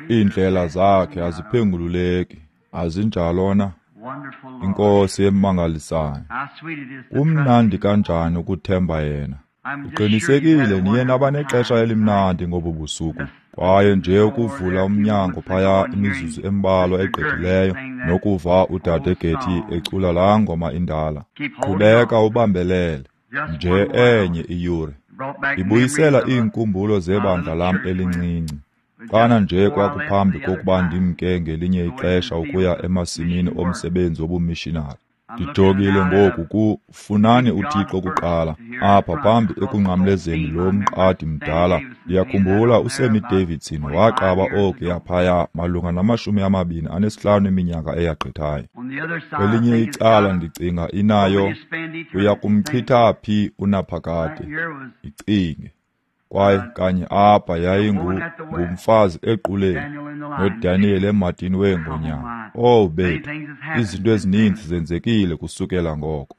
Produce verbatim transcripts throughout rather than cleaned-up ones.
Iindlela zakhe aziphengululeki, azinjalo na? INkosi emangalisayo. Kumnandi kanjani ukuthemba yena. Ndiqinisekile niye naba nexesha elimnandi ngobu busuku. Kwaye nje ukuvula umnyango phaya imizuzu embalwa egqithileyo nokuva udade Getty ecula laa ngoma indala. Qhubeka ubambelele nje enye iyure. Ibuyisela iinkumbulo zebandla lam elincinci. Xana nje kwakuphambi kokuba ndimke ngelinye ixesha ukuya emasimini omsebenzi wobumishinari. Ndijongile ngoku ku Funani uThixo kuqala, apha phambi ekunqamlezeni lo mqadi mdala. Ndiyakhumbula uSammy Davidson waqaba okuya phaya malunga namashumi amabini anesihlanu eminyaka eyagqithayo. Kwelinye icala ndicinga inayo, uya kumchitha phi unaphakade? Icinge. Kwaye kanye apha yayingu ngumfazi equleni noDaniel emadini weengonyama. Oh bethu, izinto ezininzi zenzekile kusukela ngoko.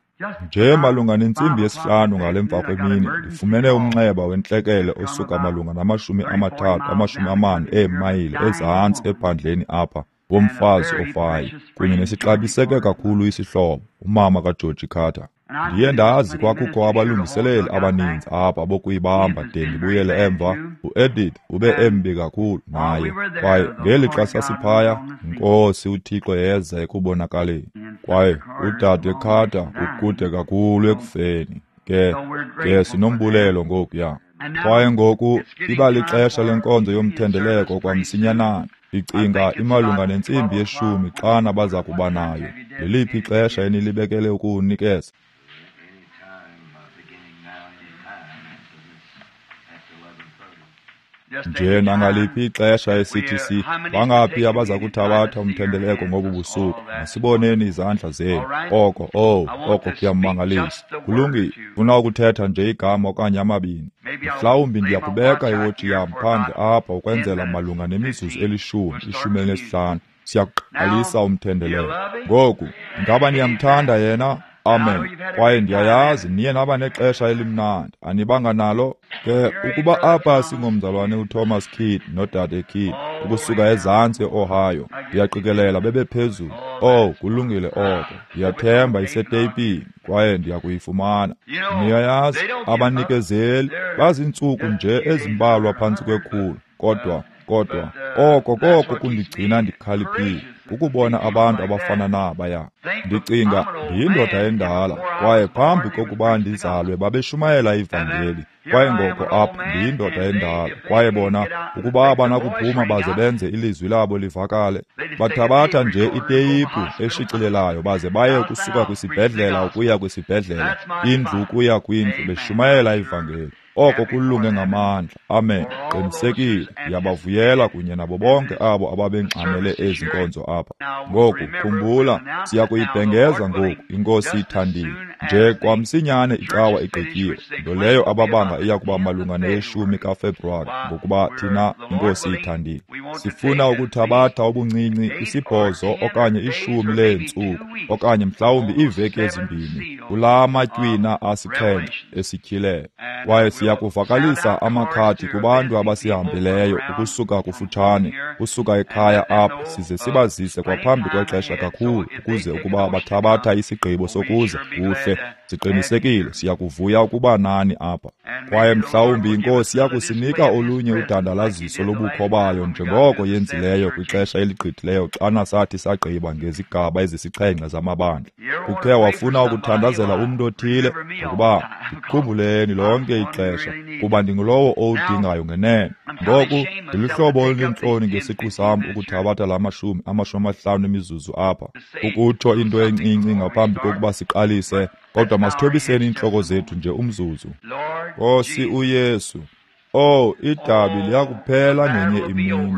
Nje malunga nentsimbi yesihlanu ngale mva kwemini ndifumene umnxeba wentlekele osuka malunga namashumi amathathu amashumi amane eemayile ezantsi ephandleni apha womfazi ofayo kunye nesixabiseke kakhulu isihlobo, umama kaGeorge Carter. Ndiye ndazi kwakukho abalungiseleli abaninzi apha bokuyibamba de ndibuyele emva. UEdith ube embi kakhulu naye, kwaye ngeli xa sasiphaya, iNkosi uThixo yeza ekubonakaleni. Kwaye udade Carter ukude kakhulu ekufeni. Ke ke sinombulelo ngokuya. Kwaye ngoku iba lixesha lenkonzo yomthendeleko kwamsinyanana. Ndicinga imalunga nentsimbi yeshumi xana baza kuba nayo. Liliphi ixesha enilibekele ukuwunikeza? Nje nangaliphi ixesha esithi si bangaphi abaza kuthabatha umthendeleko ngobu busuku? Masiboneni izandla zenu. Oko, oh, oko kuyamangalisa. Kulungile, funa ukuthetha nje igama okanye amabini. Mhlawumbi ndiyakubeka iwotshi yam phandle apha ukwenzela malunga nemizuzu elishumi, ishumi elinesihlanu. Siyakuqalisa umthendeleko. Ngoku, ingaba niyamthanda yena? Amen. Kwaye ndiyayazi niye naba nexesha elimnandi. Anibanga nalo? Ke ukuba apha singomzalwane uThomas Kidd nodade Kidd ukusuka ezantsi eOhio, ndiyaqikelela bebephezulu. Oh, kulungile oko. Ndiyathemba iseteyipini kwaye ndiyakuyifumana. Niyayazi, abanikezeli bazintsuku nje ezimbalwa phantsi kwekhulu, kodwa kodwa oko koko kundigcina ndikhaliphile ukubona abantu abafana nabaya. Ndicinga ndiyindoda endala, kwaye phambi kokuba ndizalwe babeshumayela ivangeli. Kwaye ngoko apha ndiyindoda endala, kwaye bona ukuba abanakuphuma baze benze ilizwi labo livakale, bathabatha nje iteyiphu eshicilelayo baze baye ukusuka kwisibhedlela ukuya kwisibhedlela, indlu ukuya kwindlu, beshumayela ivangeli. Oko kulunge ngamandla. Amen. Qinisekile, ndiyabavuyela kunye nabo bonke abo ababengxamele ezi nkonzo apha. Ngoku khumbula, siyakuyibhengeza ngoku, iNkosi ithandile. Nje kwamsinyane icawa igqityiwe, nto leyo ababanga iya kuba malunga neyeshumi kaFebruwari, ngokuba thina iNkosi ithandile. Sifuna ukuthabatha ubuncinci isibhozo okanye ishumi leentsuku okanye mhlawumbi iiveki ezimbini kulaa matywina asixhenxe esityhileyo. Kwaye siyakuvakalisa amakhadi kubantu abasihambileyo ukusuka kufutshane, kusuka ekhaya apha, size sibazise kwaphambi kwexesha kakhulu ukuze ukuba bathabatha isigqibo sokuza kuhle, siqinisekile siyakuvuya ukuba nani apha. Kwaye mhlawumbi iNkosi iyakusinika olunye udandalaziso lobukho bayo njengoko yenzileyo kwixesha eligqithileyo xana sathi sagqiba ngezigaba ezisixhenxe zamabandla. Ukhe wafuna ukuthandazela umntu othile, ngokuba ndikhumbuleni lonke ixesha, kuba ndingulowo owudingayo ngenene. Ngoku ndiluhlobo olunentloni ngesiqu sam ukuthabatha la mashumi amashumi amahlanu emizuzu apha ukutsho into encinci ngaphambi kokuba siqalise, kodwa masithobiseni iintloko zethu nje umzuzu. Nkosi uYesu, oh, idabi liyakuphela ngenye imini,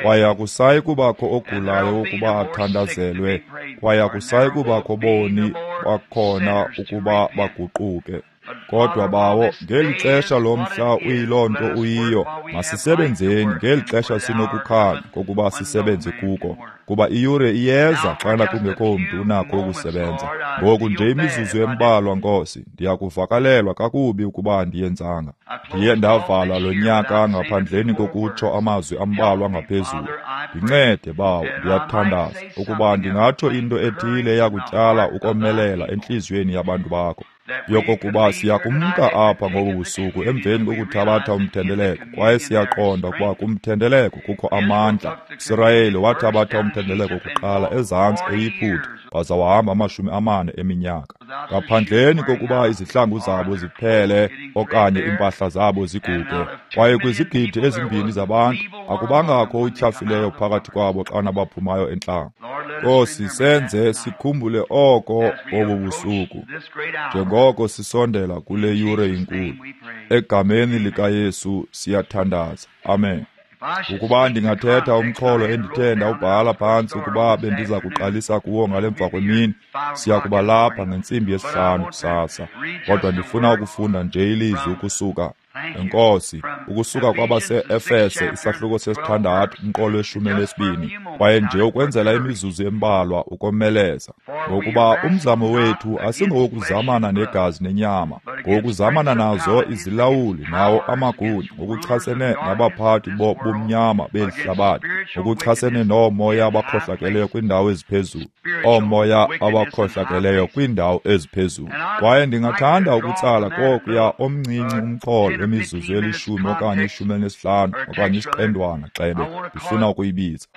kwaye akusayi kubakho ogulayo ukuba athandazelwe, kwaye akusayi kubakho boni bakhona ukuba baguquke. Kodwa bawo, ngeli xesha lomhla uyiloo nto uyiyo, masisebenzeni ngeli xesha sinokukhanya kokuba sisebenze kuko, kuba iyure iyeza xana kungekho mntu unakho ukusebenza. Ngoku nje imizuzu embalwa, Nkosi, ndiyakuvakalelwa kakubi ukuba andiyenzanga. Ndiye ndavala lo nyaka ngaphandleni kokutsho amazwi ambalwa ngaphezulu. Ndincede, bawo, ndiyathandaza ukuba ndingatsho into ethile eyakutyala ukomelela entliziyweni yabantu bakho, yokokuba siyakumka apha ngobu busuku emveni kokuthabatha umthendeleko, kwaye siyaqonda ukuba kumthendeleko kukho amandla. Sirayeli wathabatha umthendeleko kuqala ezantsi eYiputa, waza wahamba amashumi amane eminyaka ngaphandleni kokuba izihlangu zabo ziphele okanye iimpahla zabo ziguge. Kwaye kwizigidi ezimbini zabantu akubangakho utyhafileyo phakathi kwabo xana baphumayo entlango. Nkosi, senze sikhumbule oko ngobu busuku njengoko sisondela kule yure inkulu. Egameni likaYesu siyathandaza. Amen. Ukuba ndingathetha umxholo endithe ndawubhala phantsi ukuba bendiza kuqalisa kuwo ngale mva kwemini, siya kuba lapha ngentsimbi yesihlanu kusasa. Kodwa ndifuna ukufunda nje ilizwi ukusuka, Enkosi, ukusuka kwabase-Efese isahluko sesithandathu umqolo weshumi elinesibini, kwaye nje ukwenzela imizuzu embalwa ukomeleza. Ngokuba umzamo wethu asingowokuzamana negazi nenyama, ngowokuzamana nazo izilawuli nawo amagunya, ngokuchasene nabaphathi bobumnyama beli hlabathi, ngokuchasene noomoya abakhohlakeleyo kwiindawo eziphezulu, oomoya abakhohlakeleyo kwiindawo eziphezulu. Kwaye ndingathanda ukutsala kokuya omncinci umxholo wemizuzu elishumi okanye ishumi elinesihlanu okanye isiqendwana xebe ndifuna ukuyibiza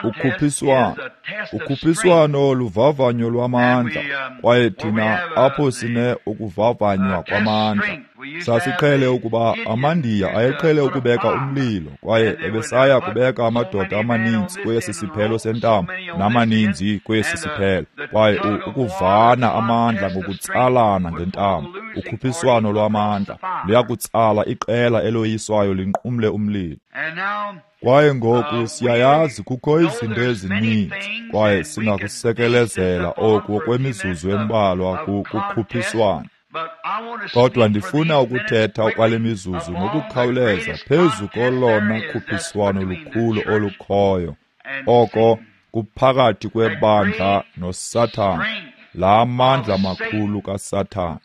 ukhuphiswano. Ukhuphiswano luvavanyo lwamandla, kwaye thina apho sine ukuvavanywa kwamandla. Sasiqhele ukuba amaNdiya ayeqhele ukubeka umlilo, kwaye ebesaya kubeka amadoda amaninzi kwesi siphelo sentambo namaninzi kwesi siphelo, kwaye ukuvana amandla ngokutsalana ngentambo. Ukhuphiswano lwamandla luyakutsala iqela eloyiswayo linqumle umlilo. Kwaye ngoku siyayazi kukho izinto ezininzi, kwaye singakusekelezela oku okwemizuzu embalwa kukhuphiswano. Kodwa ndifuna ukuthetha kwale mizuzu ngokukhawuleza phezu kolona khuphiswano lukhulu olukhoyo, oko kuphakathi kwebandla noSathana, laa mandla makhulu kaSathana.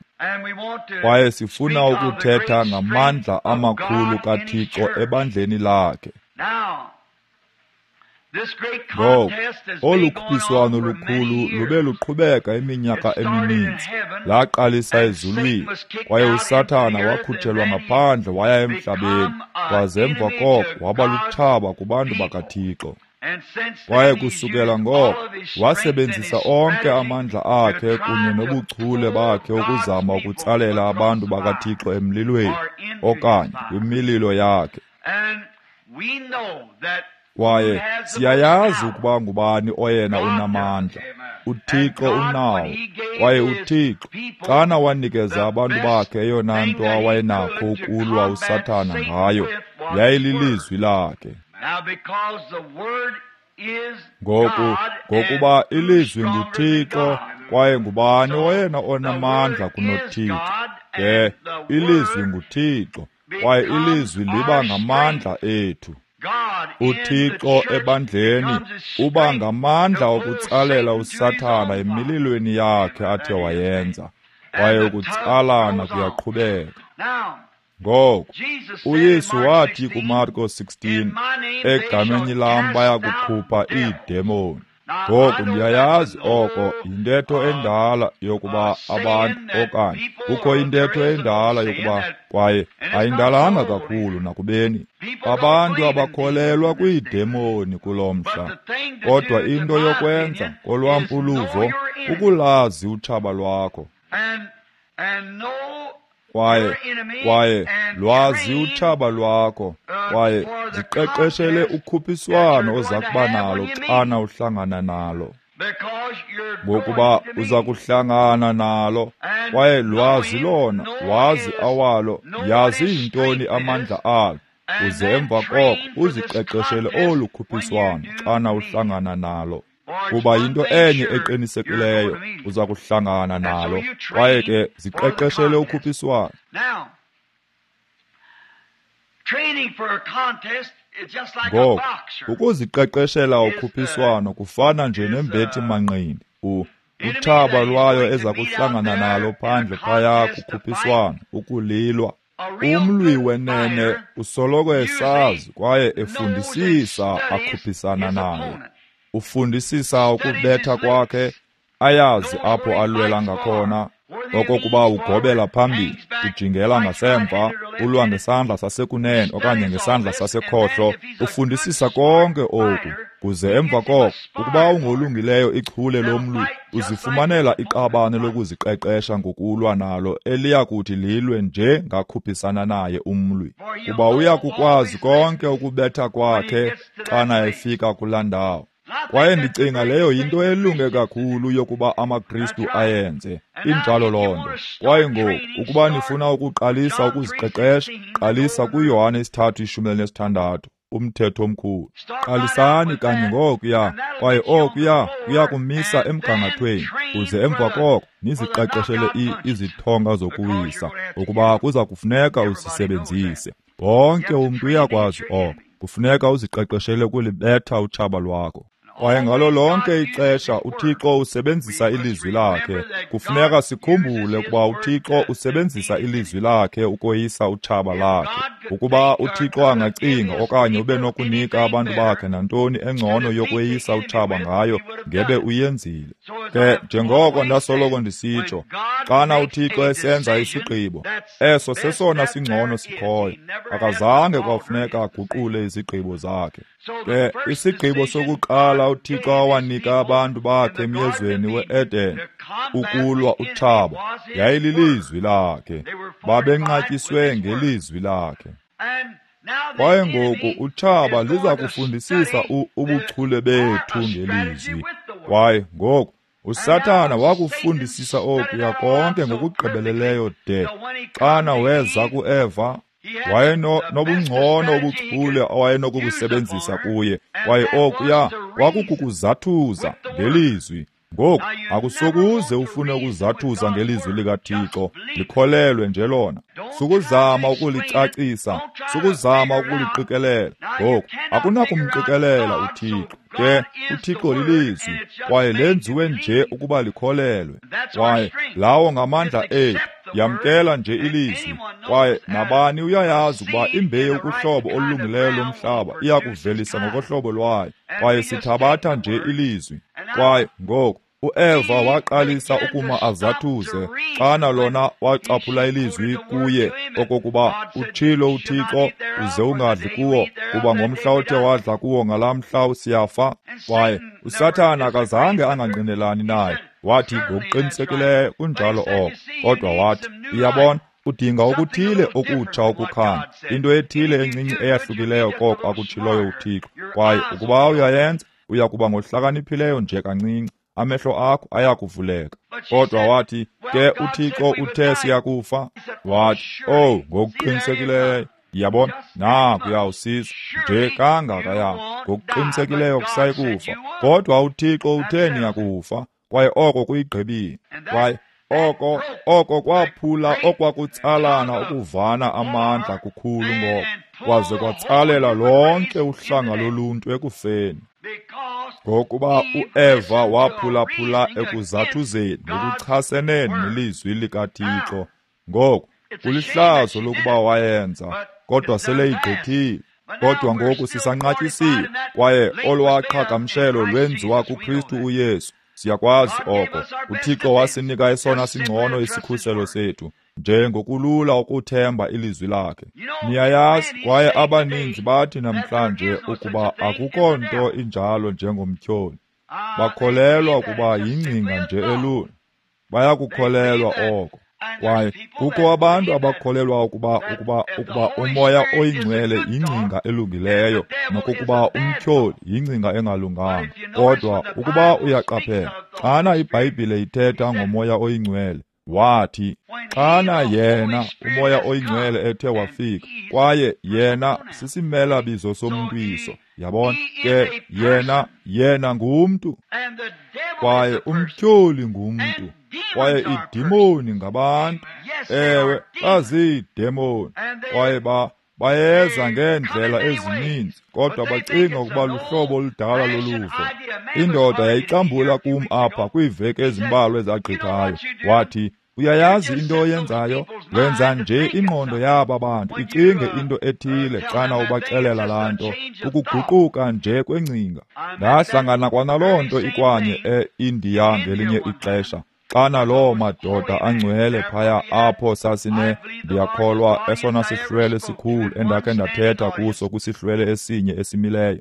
Kwaye sifuna ukuthetha ngamandla amakhulu kaThixo ebandleni lakhe. Ngoku, olu khuphiswano lukhulu lube luqhubeka iminyaka emininzi. Laqalisa ezulwini, kwaye uSathana wakhutshelwa ngaphandle waya emhlabeni, kwaze emva koko waba lutshaba kubantu bakaThixo. Kwaye kusukela ngoko wasebenzisa onke amandla akhe kunye nobuchule bakhe ukuzama ukutsalela abantu bakaThixo emlilweni okanye kwimililo yakhe. Kwaye siyayazi ukuba ngubani oyena unamandla. UThixo unawo. Kwaye uThixo, xana wanikeza abantu bakhe eyona nto awayenakho ukulwa uSathana ngayo, yayililizwi lakhe. Ngoku, ngokuba ilizwi nguThixo, kwaye ngubani oyena onamandla kunoThixo? Ke, ilizwi nguThixo, kwaye ilizwi liba ngamandla ethu. UThixo ebandleni uba ngamandla okutsalela uSathana emililweni yakhe athe wayenza, kwaye ukutsalana kuyaqhubeka. Ngoku, uYesu wathi kuMarko sixteen, egameni lam bayakukhupha iidemoni. Ngoku ndiyayazi oko yintetho endala yokuba abantu okanye kukho intetho endala yokuba, kwaye ayindalanga kakhulu nakubeni abantu abakholelwa kwiidemoni kulo mhla. Kodwa into yokwenza kolwam uluvo kukulazi utshaba lwakho. Kwaye kwaye lwazi utshaba lwakho, kwaye ziqeqeshele ukhuphiswano oza kuba nalo xana uhlangana nalo, ngokuba uza kuhlangana nalo. Kwaye lwazi lona, wazi awalo, yazi yintoni amandla alo, uze emva koko uziqeqeshele olu khuphiswano xana uhlangana nalo. Kuba yinto enye eqinisekileyo, uza kuhlangana nalo. Kwaye ke ziqeqeshele ukhuphiswano. Ngoko, ukuziqeqeshela ukhuphiswano kufana nje nembethi manqindi. U utshaba lwayo eza kuhlangana nalo phandle phaya kukhuphiswano, ukulilwa. Umlwi wenene usoloko esazi kwaye efundisisa akhuphisana naye. Ufundisisa ukubetha kwakhe, ayazi apho alwela ngakhona, okokuba ugobela phambili, ujingela ngasemva, ulwa ngesandla sasekunene okanye ngesandla sasekhohlo. Ufundisisa konke oku, kuze emva koko, ukuba ungolungileyo ichule lomlwi, uzifumanela iqabane lokuziqeqesha ngokulwa nalo eliya kuthi lilwe nje ngakhuphisana naye umlwi. Kuba uya kukwazi konke ukubetha kwakhe xana efika kulaa ndawo. Kwaye ndicinga leyo yinto elunge kakhulu yokuba amaKristu ayenze. Injalo loo nto. Kwaye ngoku, ukuba nifuna ukuqalisa ukuziqeqesha, qalisa kuYohane isithathu ishumi elinesithandathu, umthetho omkhulu. Qalisani kanye ngokuya, kwaye okuya kuya kumisa emgangathweni, kuze emva koko niziqeqeshele izithonga zokuwisa, ukuba kuza kufuneka uzisebenzise. Wonke umntu uyakwazi oko. Kufuneka uziqeqeshele ukulibetha utshaba lwakho. Kwaye ngalo lonke ixesha uThixo usebenzisa ilizwi lakhe. Kufuneka sikhumbule ukuba uThixo usebenzisa ilizwi lakhe ukoyisa utshaba lakhe. Ukuba uThixo angacinga okanye ube nokunika abantu bakhe nantoni engcono yokweyisa utshaba ngayo, ngebe uyenzile. Ke njengoko ndasoloko ndisitsho, xana uThixo esenza isigqibo, eso sesona singcono sikhoyo. Akazange kwafuneka aguqule izigqibo zakhe. Ke isigqibo sokuqala uThixo awanika abantu bakhe emyezweni we-Eden ukulwa utshaba yayililizwi lakhe. Babenqatyiswe ngelizwi lakhe. Kwaye ngoku utshaba liza kufundisisa ubuchule bethu ngelizwi. Kwaye ngoku uSathana wakufundisisa okuya konke ngokugqibeleleyo de xana weza kuEva, wayenobungcono obuchule awayenokubusebenzisa kuye. Kwaye okuya kwakukukuzathuza ngelizwi. Ngoku akusokuze ufune ukuzathuza ngelizwi likaThixo, likholelwe nje lona. Sukuzama ukulicacisa, sukuzama ukuliqikelela. Ngoku akunakumqikelela uThixo. Ke uThixo lilizwi, kwaye lenziwe nje ukuba likholelwe. Kwaye lawo ngamandla ethu. Yamkela nje ilizwi, kwaye nabani uyayazi ukuba imbewu kuhlobo olulungileyo lomhlaba iyakuvelisa ngokohlobo lwayo. Kwaye sithabatha nje ilizwi. Kwaye ngoku uEva waqalisa ukuma azathuze xana lona wacaphula ilizwi kuye okokuba utshilo uThixo, uze ungadli kuwo, kuba ngomhla othe wadla kuwo ngalaa mhla siyafa. Kwaye uSathana akazange angangqinelani naye. Wathi ngokuqinisekileyo kunjalo oko, kodwa wathi, uyabona, udinga okuthile okutsha ukukhanya, into ethile encinci eyahlukileyo koko akutshiloyo uThixo. Kwaye ukuba uyayenza, uya kuba ngohlakaniphileyo nje kancinci, amehlo akho ayakuvuleka. Kodwa wathi, ke uThixo uthe siyakufa. Wathi, oh, ngokuqinisekileyo, yabona, nakuya usiza nje kangakaya, ngokuqinisekileyo kusayikufa. Kodwa uThixo uthe niyakufa, kwaye oko kuyigqibile. Kwaye oko oko kwaphula okwakutsalana ukuvana amandla kukhulu ngoko, kwaze kwatsalela lonke uhlanga loluntu ekufeni. Ngokuba uEva waphulaphula ekuzathuzeni ngokuchasene nelizwi likaThixo. Ngoku kulihlazo lokuba wayenza, kodwa seleyigqithile. Kodwa ngoku sisanqatyisiwe, kwaye olwaqhagamshelo lwenziwa kuKristu uYesu. Siyakwazi oko. uThixo wasinika esona singcono isikhuselo sethu, njengokulula ukuthemba ilizwi lakhe. Niyayazi, kwaye abaninzi bathi namhlanje ukuba akukho nto injalo njengomtyholi. Bakholelwa ukuba yingcinga nje elula. Bayakukholelwa oko. Kwaye kukho abantu abakholelwa ukuba ukuba ukuba umoya oyingcwele yingcinga elungileyo, nokokuba umtyholi yingcinga engalunganga. Kodwa ukuba uyaqaphela, xana iBhayibhile ithetha ngomoya oyingcwele, wathi, Xana yena uMoya oyiNgcwele ethe wafika, kwaye yena sisimela bizo somntwiso, yabona ke yena yena ngumntu, kwaye umtyholi ngumntu, kwaye idimoni ngabantu. Ewe, baziidemoni, kwaye ba bayeza ngeendlela ezininzi, kodwa bacinga ukuba luhlobo oludala loluvo. Indoda yayixambula kum apha kwiiveki ezimbalwa ezagqithayo. Wathi, uyayazi into oyenzayo? Wenza nje ingqondo yaba bantu icinge into ethile xana ubaxelela laa nto, ukuguquka nje kwengcinga. Ndahlangana kwanaloo nto ikwanye e-Indiya ngelinye ixesha. Xana loo madoda angcwele phaya apho sasine, ndiyakholwa esona sihlwele sikhulu endakhe ndathetha kuso kwisihlwele esinye esimileyo,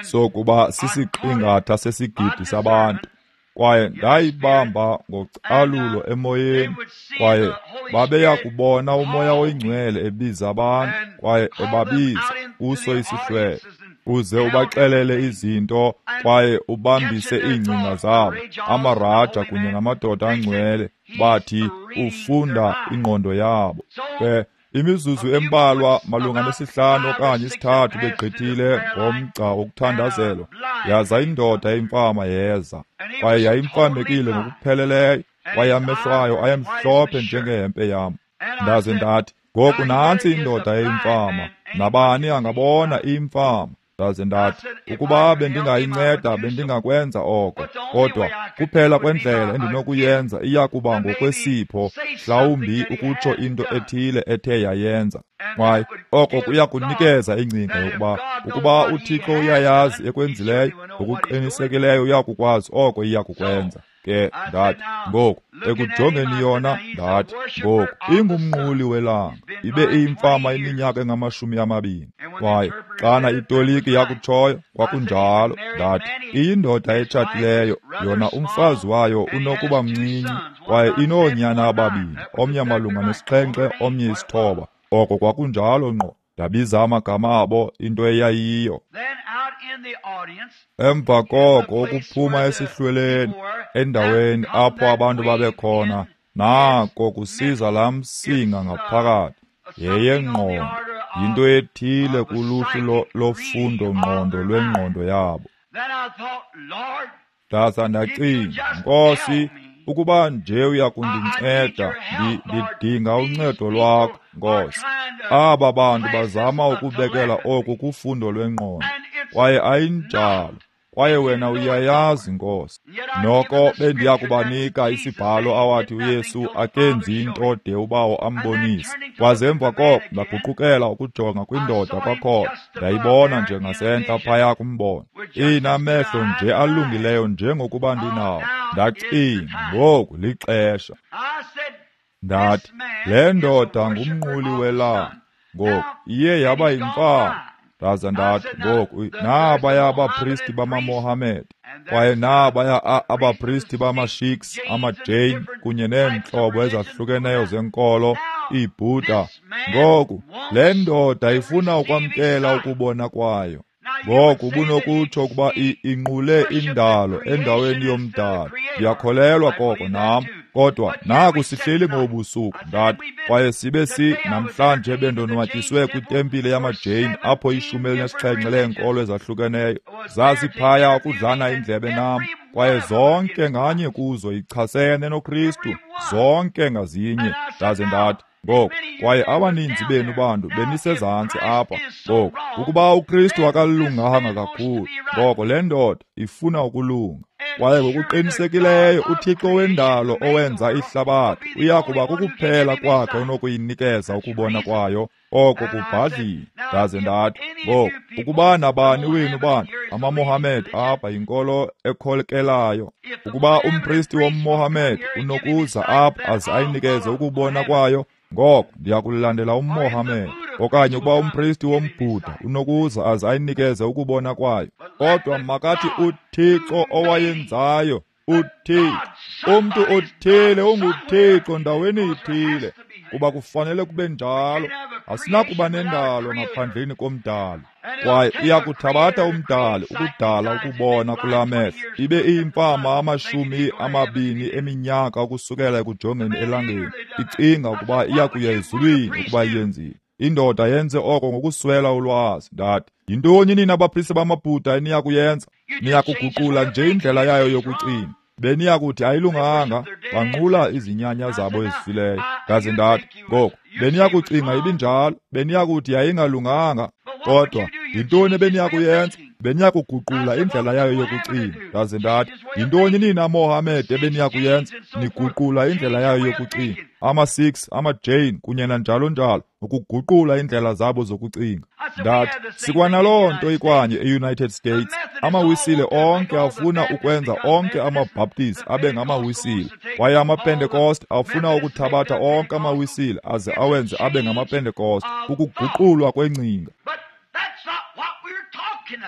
sokuba sisiqingatha sesigidi sabantu. Kwaye ndayibamba ngocalulo emoyeni, kwaye babeya kubona uMoya oyiNgcwele ebiza abantu, kwaye ebabiza kuso isihlwele, uze ubaxelele izinto kwaye ubambise iingcinga zabo. Amaraja kunye namadoda angcwele bathi ufunda ingqondo yabo. Ke imizuzu embalwa malunga nesihlanu okanye isithathu begqithile ngomgca wokuthandazelwa, yaza indoda imfama yeza, kwaye yayimfamekile ngokupheleleyo, kwaye amehlo ayo ayemhlophe njengehempe yam. Ndaze ndathi, ngoku nantsi indoda eyimfama, nabani angabona imfama. Ndaze ndathi, ukuba bendingayinceda bendingakwenza oko, kodwa kuphela kwendlela endinokuyenza iya kuba ngokwesipho, mhlawumbi ukutsho into ethile ethe yayenza. Kwaye oko kuya kunikeza ingcinga yokuba ukuba uThixo uyayazi ekwenzileyo, ngokuqinisekileyo uya kukwazi oko iya kukwenza. Ke ndathi, ngoku ekujongeni yona, ndathi, ngoku ingumnquli welanga, ibe iyimfama iminyaka engamashumi amabini. Kwaye xana itoliki yakutshoyo kwakunjalo, ndathi, iyindoda etshatileyo, yona umfazi wayo unokuba mncinci, kwaye inoonyana ababini, omnye malunga nesixhenxe, omnye isithoba. Oko kwakunjalo ngqo. Ndabiza amagama abo, into eyayiyo. Emva koko ukuphuma esihlweleni, endaweni apho abantu babekhona, nako kusiza laa msinga ngaphakathi, yeyengqondo, yinto ethile kuluhlu lofundo-ngqondo lwengqondo yabo. Ndaza ndacinga, Nkosi, ukuba nje uya kundinceda, ndidinga uncedo lwakho, Nkosi. Aba bantu bazama ukubekela oku kufundo lwengqondo, kwaye ayinjalo. Kwaye wena uyayazi, Nkosi. Noko bendiya kubanika isibhalo awathi uYesu akenzi into de uBawo ambonise. Kwaze emva koko ndaguqukela ukujonga kwindoda kwakhona, ndayibona nje ngasentla phaya kumbono, inamehlo nje alungileyo njengokuba ndinawo. Ndacinga, ngoku lixesha. Ndathi, le ndoda ngumnquli welanga, ngoku iye yaba yimfama. Ndaza ndathi, ngoku nabaya abapristi bamaMohammed, kwaye nabaya abapristi bamaSikhs, amaJain kunye neentlobo ezahlukeneyo zenkolo, iiBuddha. Ngoku le ndoda ifuna ukwamkela ukubona kwayo. Ngoku ubunokutsho ukuba inqule indalo endaweni yomdalo. Ndiyakholelwa koko nam, kodwa naku sihleli ngobusuku, ndathi, kwaye sibe si namhlanje bendonwatyiswe kwitempile yamaJain apho ishumi elinesixhenxe leenkolo ezahlukeneyo zaziphaya ukudlana indlebe nam, kwaye zonke nganye kuzo ichasene noKristu, zonke ngazinye. Ndaze ndathi, ngoku, kwaye abaninzi benu bantu benisezantsi apha. Ngoku, ukuba uKristu akalunganga kakhulu, ngoko le ndoda ifuna ukulunga. Kwaye ngokuqinisekileyo uThixo wendalo owenza ihlabathi uya kuba kukuphela kwakhe onokuyinikeza ukubona kwayo, oko kubhadlile. Ndaze ndathi, ngoku, ukuba nabani wenu bantu amaMohammed apha yinkolo ekholekelayo, ukuba umpristi womMohammed unokuza apha aze ayinikeze ukubona kwayo, ngoko ndiyakulandela umMohammed. Okanye ukuba umpristi womBhuda unokuza aze ayinikeze ukubona kwayo, kodwa makathi uThixo owayenzayo, uThixo, umntu othile unguThixo ndaweni ithile, kuba kufanele kube njalo. Asinakuba nendalo ngaphandleni komdali. Kwaye iyakuthabatha umdali ukudala ukubona kulaa mehlo, ibe iyimfama amashumi amabini eminyaka ukusukela ekujongeni elangeni, icinga ukuba iyakuya ezulwini ukuba iyenzile. Indoda yenze oko ngokuswela ulwazi. Ndathi, yintoni nina bapriste bamaBhuda eniyakuyenza? Niyakuguqula nje indlela yayo yokucinga. Beniyakuthi ayilunganga, banqula izinyanya zabo ezifileyo. Ndaze ndathi, ngoku beniyakucinga ibinjalo, beniyakuthi yayingalunganga. Kodwa yintoni ebeniyakuyenza? Beniyakuguqula indlela yayo yokucinga. Ndaze ndathi, yintoni nina Mohammed ebeniyakuyenza? Niguqula indlela yayo yokucinga. Ama-Sikhs, ama-Jain kunye nanjalo njalo, ukuguqula indlela zabo zokucinga. Ndathi, sikwanaloo nto ikwanye e-United States. Amawisile onke afuna ukwenza onke amaBaptist abe ngamawisile, kwaye amaPentecost afuna ukuthabatha onke amawisile aze awenze abe ngamaPentecost, ukuguqulwa kwengcinga.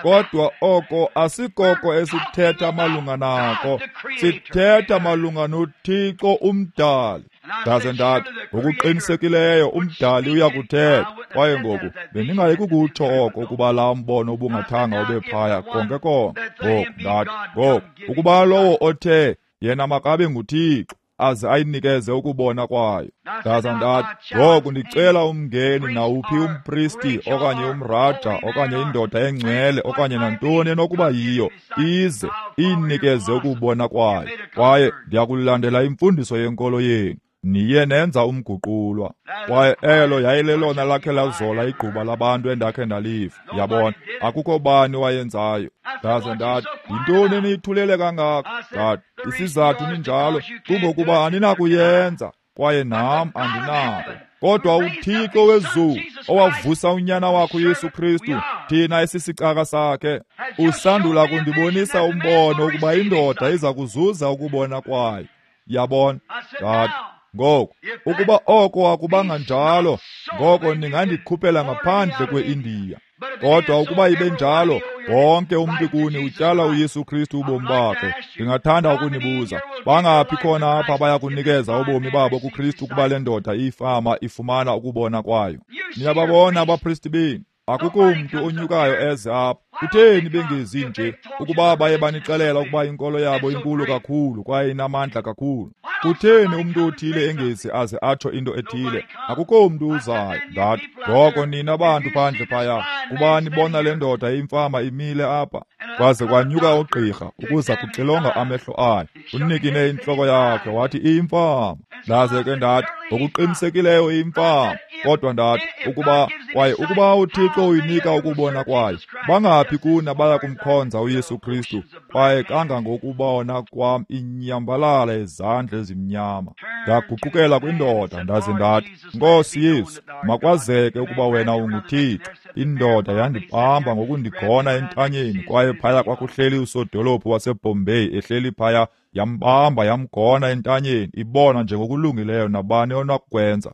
Kodwa oko asikoko esithetha malunga nako, sithetha malunga noThixo umdali. Ndaze ndathi, ngokuqinisekileyo umdali uyakuthetha. Kwaye ngoku bendingayi kukutsho oko ukuba laa mbono ubungathanga ube phaya konke konke. Ngoku ndathi, ngoku ukuba lowo othe yena makabe nguThixo aze ayinikeze ukubona kwayo. Ndaza ndathi, ngoku ndicela umngeni nawuphi umpristi okanye umraja okanye indoda engcwele okanye nantoni enokuba yiyo, ize iyinikeze ukubona kwayo. Kwaye ndiyakulandela imfundiso yenkolo yenu. Niye nenza umguqulwa. Kwaye elo yayilelona lakhe lazola igquba labantu endakhe ndaliva. Yabona, akukho bani wayenzayo. Ndaze ndathi, yintoni eniyithulele kangaka? Ndathi, isizathu ninjalo kungokuba aninakuyenza, kwaye nam andinako. Kodwa uThixo wezulu owavusa unyana wakhe uYesu Kristu, thina esisicaka sakhe, usandula kundibonisa umbono ukuba indoda iza kuzuza ukubona kwayo. Yabona? Ndathi, ngoku ukuba oko akubanga njalo, ngoko ningandikhuphela ngaphandle kweIndiya. Kodwa ukuba ibe njalo, wonke umntu kuni utyala uYesu Kristu ubomi bakhe. Ndingathanda ukunibuza, bangaphi khona apha abaya kunikeza ubomi babo kuKristu ukuba le ndoda ifama ifumana ukubona kwayo? Niyababona abapristi benu? Akukho mntu onyukayo eze apha. Kutheni bengezi nje? Ukuba baye banixelela ukuba inkolo yabo inkulu kakhulu kwaye inamandla kakhulu. Kutheni umntu othile engezi aze atsho into ethile? Akukho mntu uzayo. Ndathi, ngoko nina bantu phandle phaya, kuba nibona le ndoda imfama imile apha. Kwaze kwanyuka ugqirha ukuza kuxilonga amehlo ayo. Unikine intloko yakhe wathi iyimfama. Ndaze ke ndathi, ngokuqinisekileyo iyimfama. Kodwa ndathi, ukuba kwaye ukuba uThixo uyinika ukubona kwayo, bangaphi kuni abaya kumkhonza uYesu Kristu? Kwaye kangangokubona kwam inyambalala izandla ezimnyama. Ndaguqukela kwindoda ndaze ndathi, Nkosi Yesu, makwazeke ukuba wena unguThixo. Indoda yandibamba ngokundigona entanyeni, kwaye phaya kwakuhleli usodolophu waseBombay ehleli phaya, yambamba yamgona entanyeni, ibona njengokulungileyo nabani onakukwenza.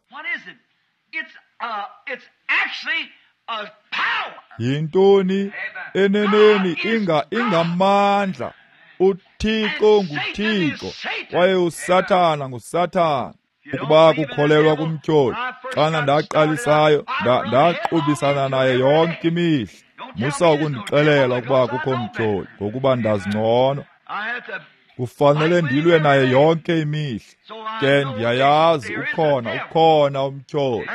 Yintoni eneneni inga ingamandla? UThixo nguThixo kwaye uSathana nguSathana. Ukuba kukholelwa kumtyholi, xana ndaqalisayo ndaqubisana naye yonke imihla. Musa ukundixelela ukuba kukho mtyholi, ngokuba ndazingcono. Kufanele ndilwe naye yonke imihla. Ke ndiyayazi ukhona, ukhona umtyholi,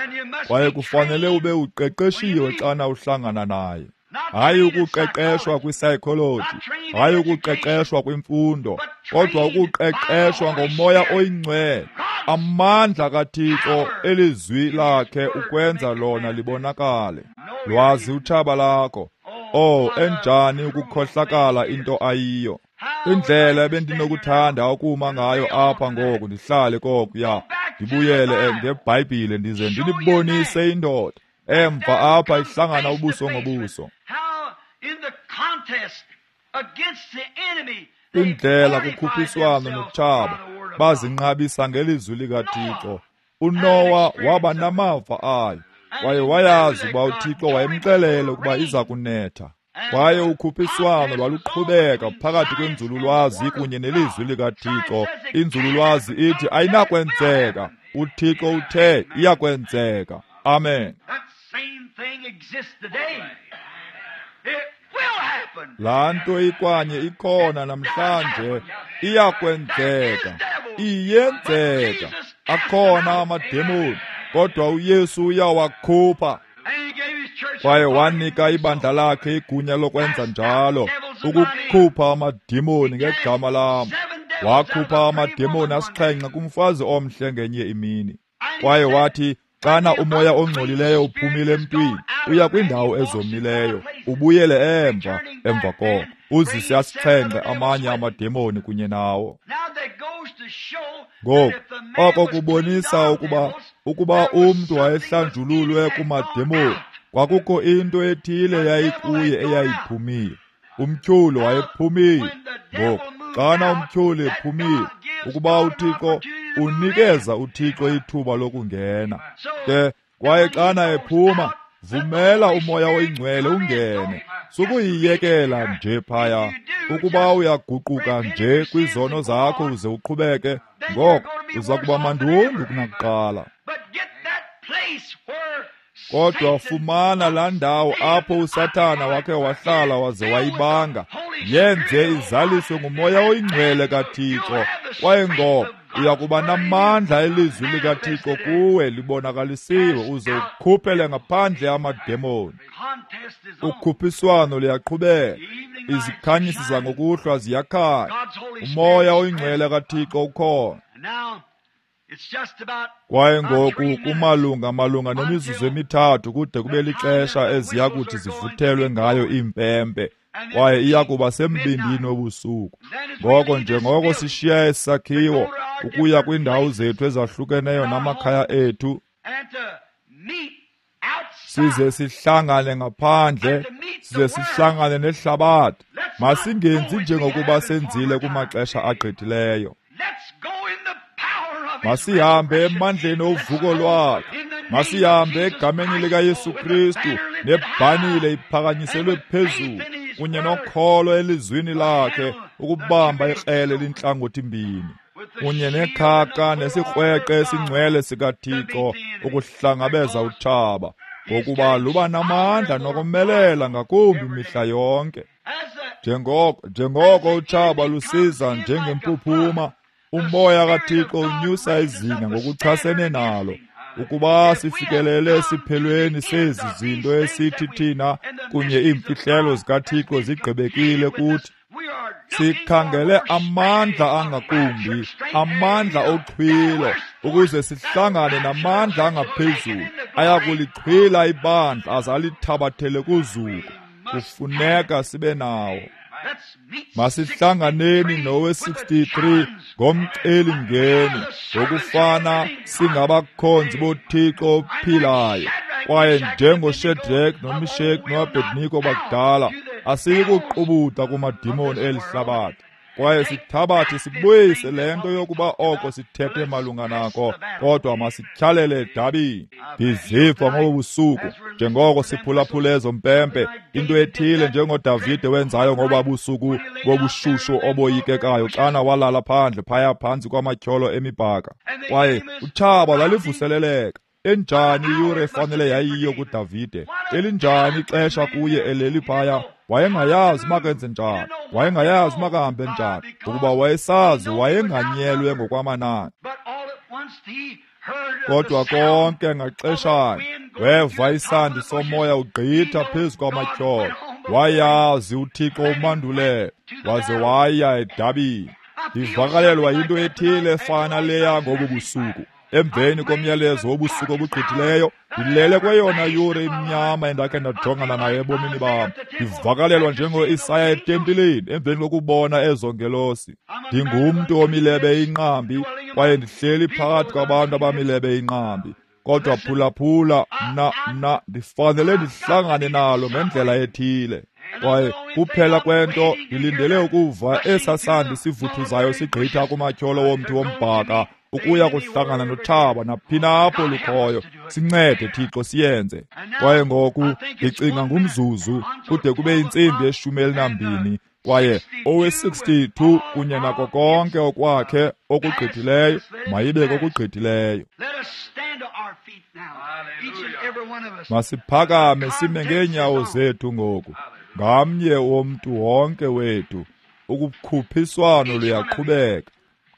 kwaye kufanele ube uqeqeshiwe xana uhlangana naye. Hayi ukuqeqeshwa kwi-psychology, hayi ukuqeqeshwa kwimfundo, kodwa ukuqeqeshwa ngomoya oyingcwele, amandla kaThixo elizwi lakhe ukwenza lona libonakale. Lwazi utshaba lakho. Oh, enjani ukukhohlakala into ayiyo. Indlela ebendinokuthanda ukuma ngayo apha ngoku, ndihlale kokuya, ndibuyele ngeBhayibhile ndize ndinibonise indoda emva apha ihlangana ubuso ngobuso. Indlela kukhuphiswano notshaba bazinqabisa ngelizwi likaThixo. uNowa waba namava ayo, kwaye wayazi uba uThixo wayemxelele ukuba iza kunetha. Kwaye ukhuphiswano lwaluqhubeka phakathi kwenzululwazi kunye nelizwi likaThixo. Inzululwazi ithi ayinakwenzeka, uThixo uthe iyakwenzeka. Amen. Laa nto ikwanye ikhona namhlanje, iyakwenzeka, iyenzeka. Akhona amademoni, kodwa uYesu uyawakhupha. Kwaye wanika ibandla lakhe igunya lokwenza njalo, ukukhupha amademoni ngegama lam. Wakhupha amademoni asixhenxe kumfazi omhle ngenye imini. Kwaye wathi, xana umoya ongcolileyo uphumile emntwini, uya kwindawo ezomileyo, ubuyele emva, emva koko uzise asixhenxe amanye amademoni kunye nawo. Ngoku, oko kubonisa ukuba ukuba umntu wayehlanjululwe kumademoni, kwakukho into ethile yayikuye eyayiphumile. Umtyholi wayephumile. Ngoku, xana umtyholi ephumile, ukuba uThixo unikeza uThixo ithuba lokungena. Ke kwaye xana ephuma, vumela umoya oyingcwele ungene. Sukuyiyekela nje phaya. Ukuba uyaguquka nje kwizono zakho uze uqhubeke, ngoko uza kuba mandundu kunakuqala. Kodwa fumana laa ndawo apho uSathana wakhe wahlala waze wayibanga, yenze izaliswe ngumoya oyingcwele kaThixo. Kwaye ngoko uya kuba namandla elizwi likaThixo kuwe libonakalisiwe, uze ukhuphele ngaphandle amademoni. Ukhuphiswano luyaqhubeka, izikhanyisi zangokuhlwa ziyakhanya, umoya oyingcwele kaThixo ukhona. Kwaye ngoku kumalunga malunga nemizuzu emithathu kude kube lixesha eziya kuthi zivuthelwe ngayo iimpempe, kwaye iya kuba sembindini wobusuku. Ngoko njengoko sishiya esakhiwo ukuya kwiindawo zethu ezahlukeneyo namakhaya ethu, size sihlangane ngaphandle, size sihlangane nehlabathi. Masingenzi njengokuba senzile kumaxesha agqithileyo. Masihambe emandleni ovuko lwakhe. Masihambe egameni likaYesu Kristu, nebhanile iphakanyiselwe phezulu, kunye nokholo elizwini lakhe, ukubamba ikrele lintlangothi mbini, kunye nekhaka nesikrweqe esingcwele sikaThixo ukuhlangabeza utshaba, ngokuba luba namandla nokomelela ngakumbi mihla yonke. Njengoko njengoko utshaba lusiza njengempuphuma, umoya kaThixo unyusa izinga ngokuchasene nalo. Ukuba sifikelele esiphelweni sezi zinto esithi thina kunye iimfihlelo zikaThixo zigqibekile kuthi, sikhangele amandla angakumbi, amandla oxhwilo, ukuze sihlangane namandla angaphezulu ayakulixhwila ibandla aze alithabathele kuzuko. Kufuneka sibe nawo. Masihlanganeni nowe sixty-three ngomcelimngeni, ngokufana singabakhonzi boThixo ophilayo. Kwaye njengoShadrach noMeshach noAbednego bakudala, asiyikuqubuda kumadimoni eli hlabathi. Kwaye sithabathe sibuyise le nto yokuba oko sithethe malunga nako, kodwa masityhalele edabini. Ndiziva ngobu busuku njengoko siphulaphula ezo mpempe, into ethile njengoDavide wenzayo ngoba busuku bobushushu oboyikekayo xana walala phandle phaya phantsi kwamatyholo emibhaka. Kwaye utshaba lalivuseleleka. Enjani iyure efanele yayiyo kuDavide, elinjani ixesha kuye eleli phaya. Wayengayazi makenze njani, wayengayazi makahambe njani, ukuba wayesazi wayenganyelwe ngokwamanani. Kodwa konke ngaxeshanye weva isandi somoya ugqitha phezu kwamatyholo. Wayazi uThixo umandulele, waze waya edabini. Ndivakalelwa yinto ethile efana leya ngobu busuku. Emveni komyalezo wobusuku obugqithileyo, ndilele kweyona yure imnyama endakhe ndajongana nayo ebomini bam. Ndivakalelwa njengo-Isaya etempileni emveni kokubona ezo ngelosi. Ndingumntu omilebe inqambi, kwaye ndihleli phakathi kwabantu abamilebe inqambi. Kodwa phulaphula, mna mna ndifanele ndihlangane nalo ngendlela ethile. Kwaye kuphela kwento ndilindele ukuva esaa sandi sivuthuzayo sigqitha kumatyholo womthi wombhaka ukuya kuhlangana notshaba naphina apho lukhoyo. Sincede Thixo siyenze. Kwaye ngoku ndicinga ngumzuzu kude kube intsimbi yeshumi elinambini, Kwaye owe-sixty-two kunye nako konke okwakhe okugqithileyo mayibe kokugqithileyo. Masiphakame sime ngeenyawo zethu ngoku, ngamnye womntu wonke wethu. Ukukhuphiswano luyaqhubeka,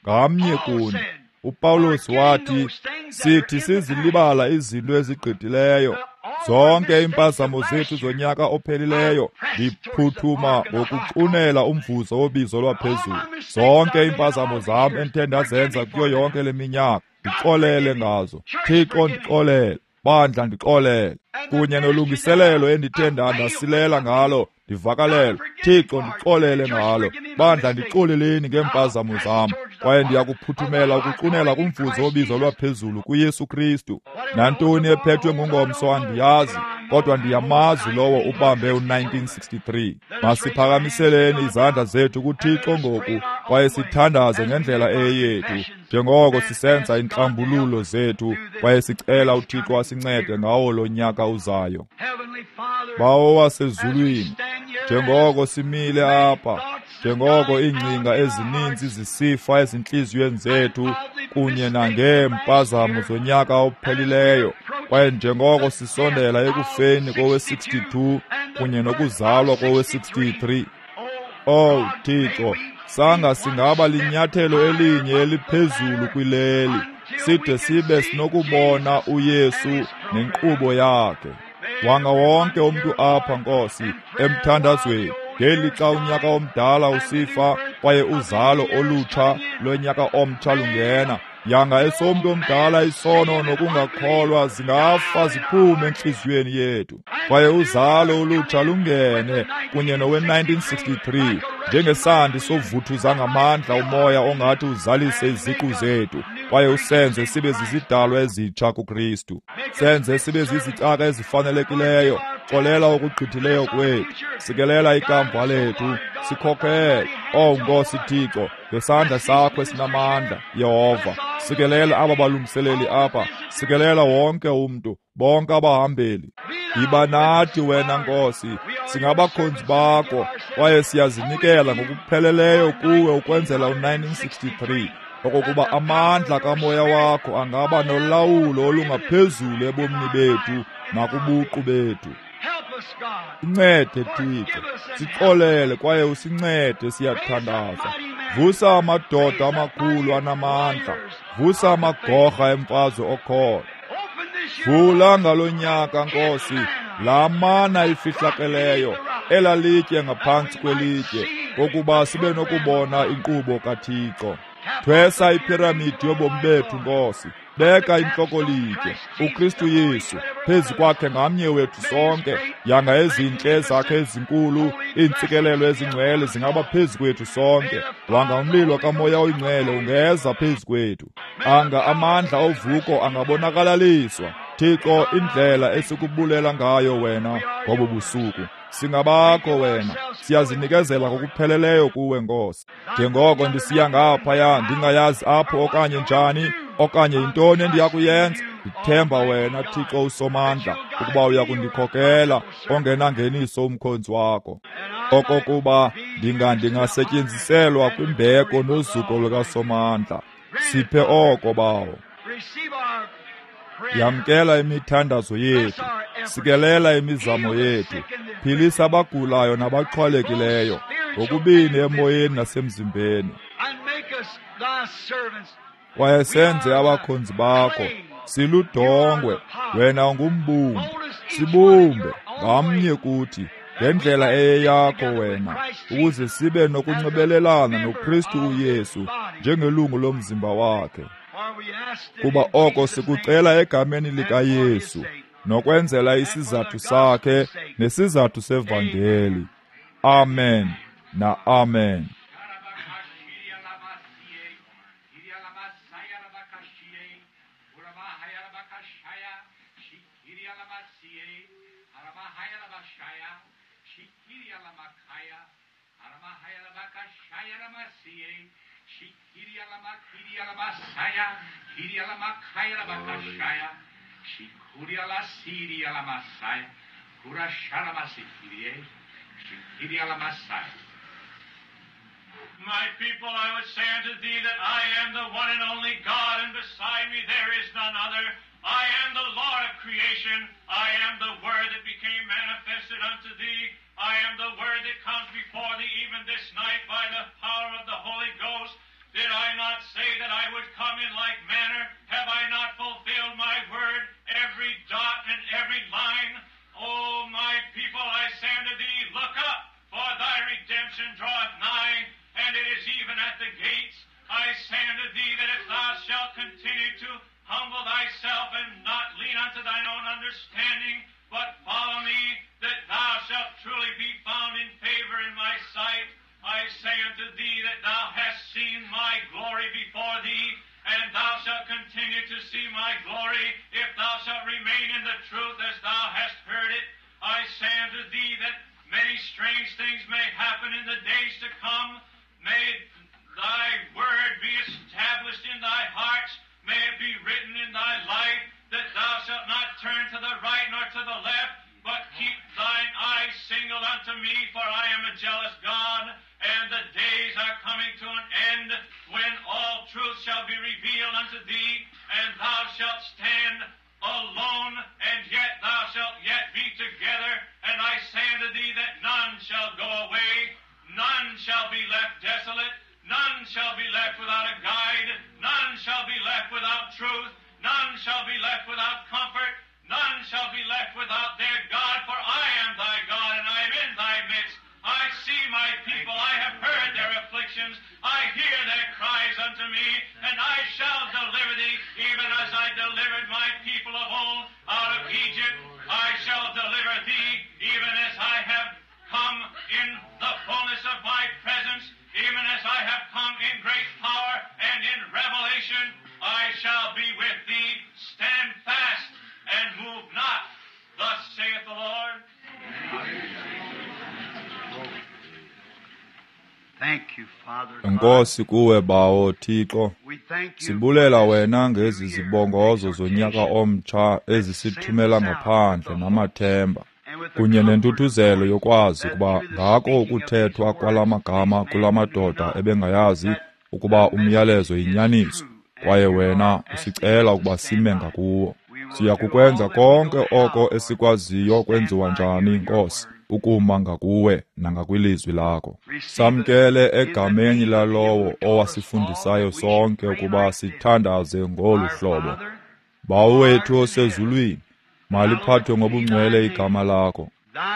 ngamnye kuni. UPawulos wathi, sithi sizilibala izinto ezigqithileyo, zonke iimpazamo zethu zonyaka ophelileyo, ndiphuthuma ngokuxunela umvuzo wobizo lwaphezulu. Zonke iimpazamo zam endithe ndazenza kuyo yonke le minyaka, ndixolele ngazo. Thixo, ndixolele. Bandla, ndixolele. Kunye nolungiselelo endithe ndasilela ngalo, ndivakalelwe. Thixo, ndixolele ngalo. Bandla, ndixoleleni ngeempazamo zam. Kwaye ndiyakuphuthumela ukuxunela kumvuzo wobizo lwaphezulu kuYesu Kristu. Nantoni ephethwe ngungomso andiyazi, kodwa ndiyamazi lowo ubambe u-nineteen sixty-three. Masiphakamiseleni izandla zethu kuThixo ngoku, kwaye sithandaze ngendlela eyethu, njengoko sisenza intlambululo zethu, kwaye sicela uThixo asincede ngawo lo nyaka uzayo. Bawo wasezulwini, njengoko simile apha, njengoko iingcinga ezininzi zisifa ezintliziyweni zethu kunye nangeempazamo zonyaka ophelileyo, kwaye njengoko sisondela ekufeni kowe-sixty-two kunye nokuzalwa kowe-sixty-three, Oh Thixo, sanga singaba linyathelo elinye eliphezulu kwileli, side sibe sinokubona uYesu nenkqubo yakhe. Wanga wonke umntu apha, Nkosi, emthandazweni, ngelixa unyaka omdala usifa kwaye uzalo olutsha lonyaka omtsha lungena, yanga esomntu omdala isono nokungakholwa zingafa ziphume entliziyweni yethu, kwaye uzalo olutsha lungene kunye nowe-nineteen sixty-three njengesandi sovuthuza ngamandla umoya ongathi uzalise iziqu zethu, kwaye usenze sibe zizidalwa ezitsha kuKristu. Senze sibe zizicaka ezifanelekileyo. Xolela okugqithileyo kwethu, sikelela ikamva lethu, sikhokhele, oh Nkosi Thixo, ngesandla sakho esinamandla, Yehova. Sikelela aba balungiseleli apha, sikelela wonke umntu, bonke abahambeli. Yiba nathi wena Nkosi, singabakhonzi bakho, kwaye siyazinikela ngokupheleleyo kuwe ukwenzela u-nineteen sixty-three, okokuba amandla kamoya wakho angaba nolawulo olungaphezulu ebomini bethu nakubuqu bethu. Sincede Thixo, sixolele kwaye usincede, siyathandaza. Vusa amadoda amakhulu anamandla, vusa amagorha emfazwe okholo. Vula ngalo nyaka, Nkosi, laa mana ifihlakeleyo, elalitye ngaphantsi kwelitye, kokuba sibe nokubona inkqubo kaThixo. Thwesa iphiramidi yobomi bethu, Nkosi. Beka intloko-litye, uKristu Yesu, phezu kwakhe ngamnye wethu sonke. Yanga ezintle zakhe ezinkulu, iintsikelelo ezingcwele zingaba phezu kwethu sonke. Wanga umlilo kaMoya oyiNgcwele ungeza phezu kwethu. Anga amandla ovuko angabonakalaliswa. Thixo, indlela esikubulela ngayo wena ngobu busuku. Singabakho wena, siyazinikezela ngokupheleleyo kuwe, Nkosi. Njengoko ndisiya ngaphaya, ndingayazi apho okanye njani, okanye yintoni endiyakuyenza, ndithemba wena, Thixo uSomandla, ukuba uyakundikhokela ongenangeniso umkhonzi wakho, okokuba ndinga ndingasetyenziselwa kwimbeko nozuko lukaSomandla. Siphe oko, Bawo. Yamkela imithandazo yethu, sikelela imizamo yethu, philisa abagulayo nabaxhwalekileyo, ngokubini emoyeni nasemzimbeni. Kwaye senze abakhonzi bakho, siludongwe, wena ungumbumbi, sibumbe ngamnye kuthi ngendlela eyeyakho wena, ukuze sibe nokunxibelelana noKristu uYesu njengelungu lomzimba wakhe. Kuba oko sikucela egameni likaYesu, nokwenzela isizathu sakhe nesizathu sevangeli. Amen na amen. My people, I would say unto thee that I am the one and only God, and beside me there is none other. I am the Lord of creation. I am the Word that became manifested unto thee. I am the Word that comes before thee even this night by the power of the Holy Ghost. Did I not say that I would come in like manner? Have I not fulfilled my word, every dot and every line? O my people, I say unto thee, look up, for thy redemption draweth nigh, and it is even at the gates. I say unto thee that if thou shalt continue to humble thyself and not lean unto thine own understanding, but follow me, that thou shalt truly be found in favor in my sight. I say unto thee that thou hast seen my glory before thee, and thou shalt continue to see my glory, if thou shalt remain in the truth as thou hast heard it. I say unto thee that many strange things may happen in the days to come. May thy word be established in thy hearts. May it be written in thy life, that thou shalt not turn to the right nor to the left, but keep thine eyes single unto me, for I am a jealous God, and the days are coming to an end when all truth shall be revealed unto thee, and thou shalt stand alone, and yet thou shalt yet be together. And I say unto thee that none shall go away, none shall be left desolate, none shall be left without a guide, none shall be left without truth, none shall be left without comfort, none shall be left without their God, for I am thy God, and I am in thy midst. I see my people, I have heard their afflictions, I hear their cries unto me, and I shall deliver thee, even as I delivered my people of old out of Egypt. I shall deliver thee, even as I have come in the fullness of my presence, even as I have come in great power and in revelation. I shall be with thee. Stand fast and move not. Thus saith the Lord. Thank you, Father. Enkosi kuwe Bawo Thixo. We thank you Sibulela wena ngezi zibongozo zonyaka omtsha ezisithumela ngaphandle namathemba kunye nentuthuzelo yokwazi ukuba ngako ukuthethwa kwala magama kula madoda ebengayazi ukuba umyalezo yinyaniso, kwaye wena usicela ukuba sime ngakuwo. Siya kukwenza konke oko esikwaziyo kwenziwa njani, Nkosi, ukuma ngakuwe nangakwilizwi lakho. Samkele egameni lalowo owasifundisayo sonke ukuba sithandaze ngolu hlobo. Bawo wethu osezulwini, maliphathwe ngobungcwele igama lakho.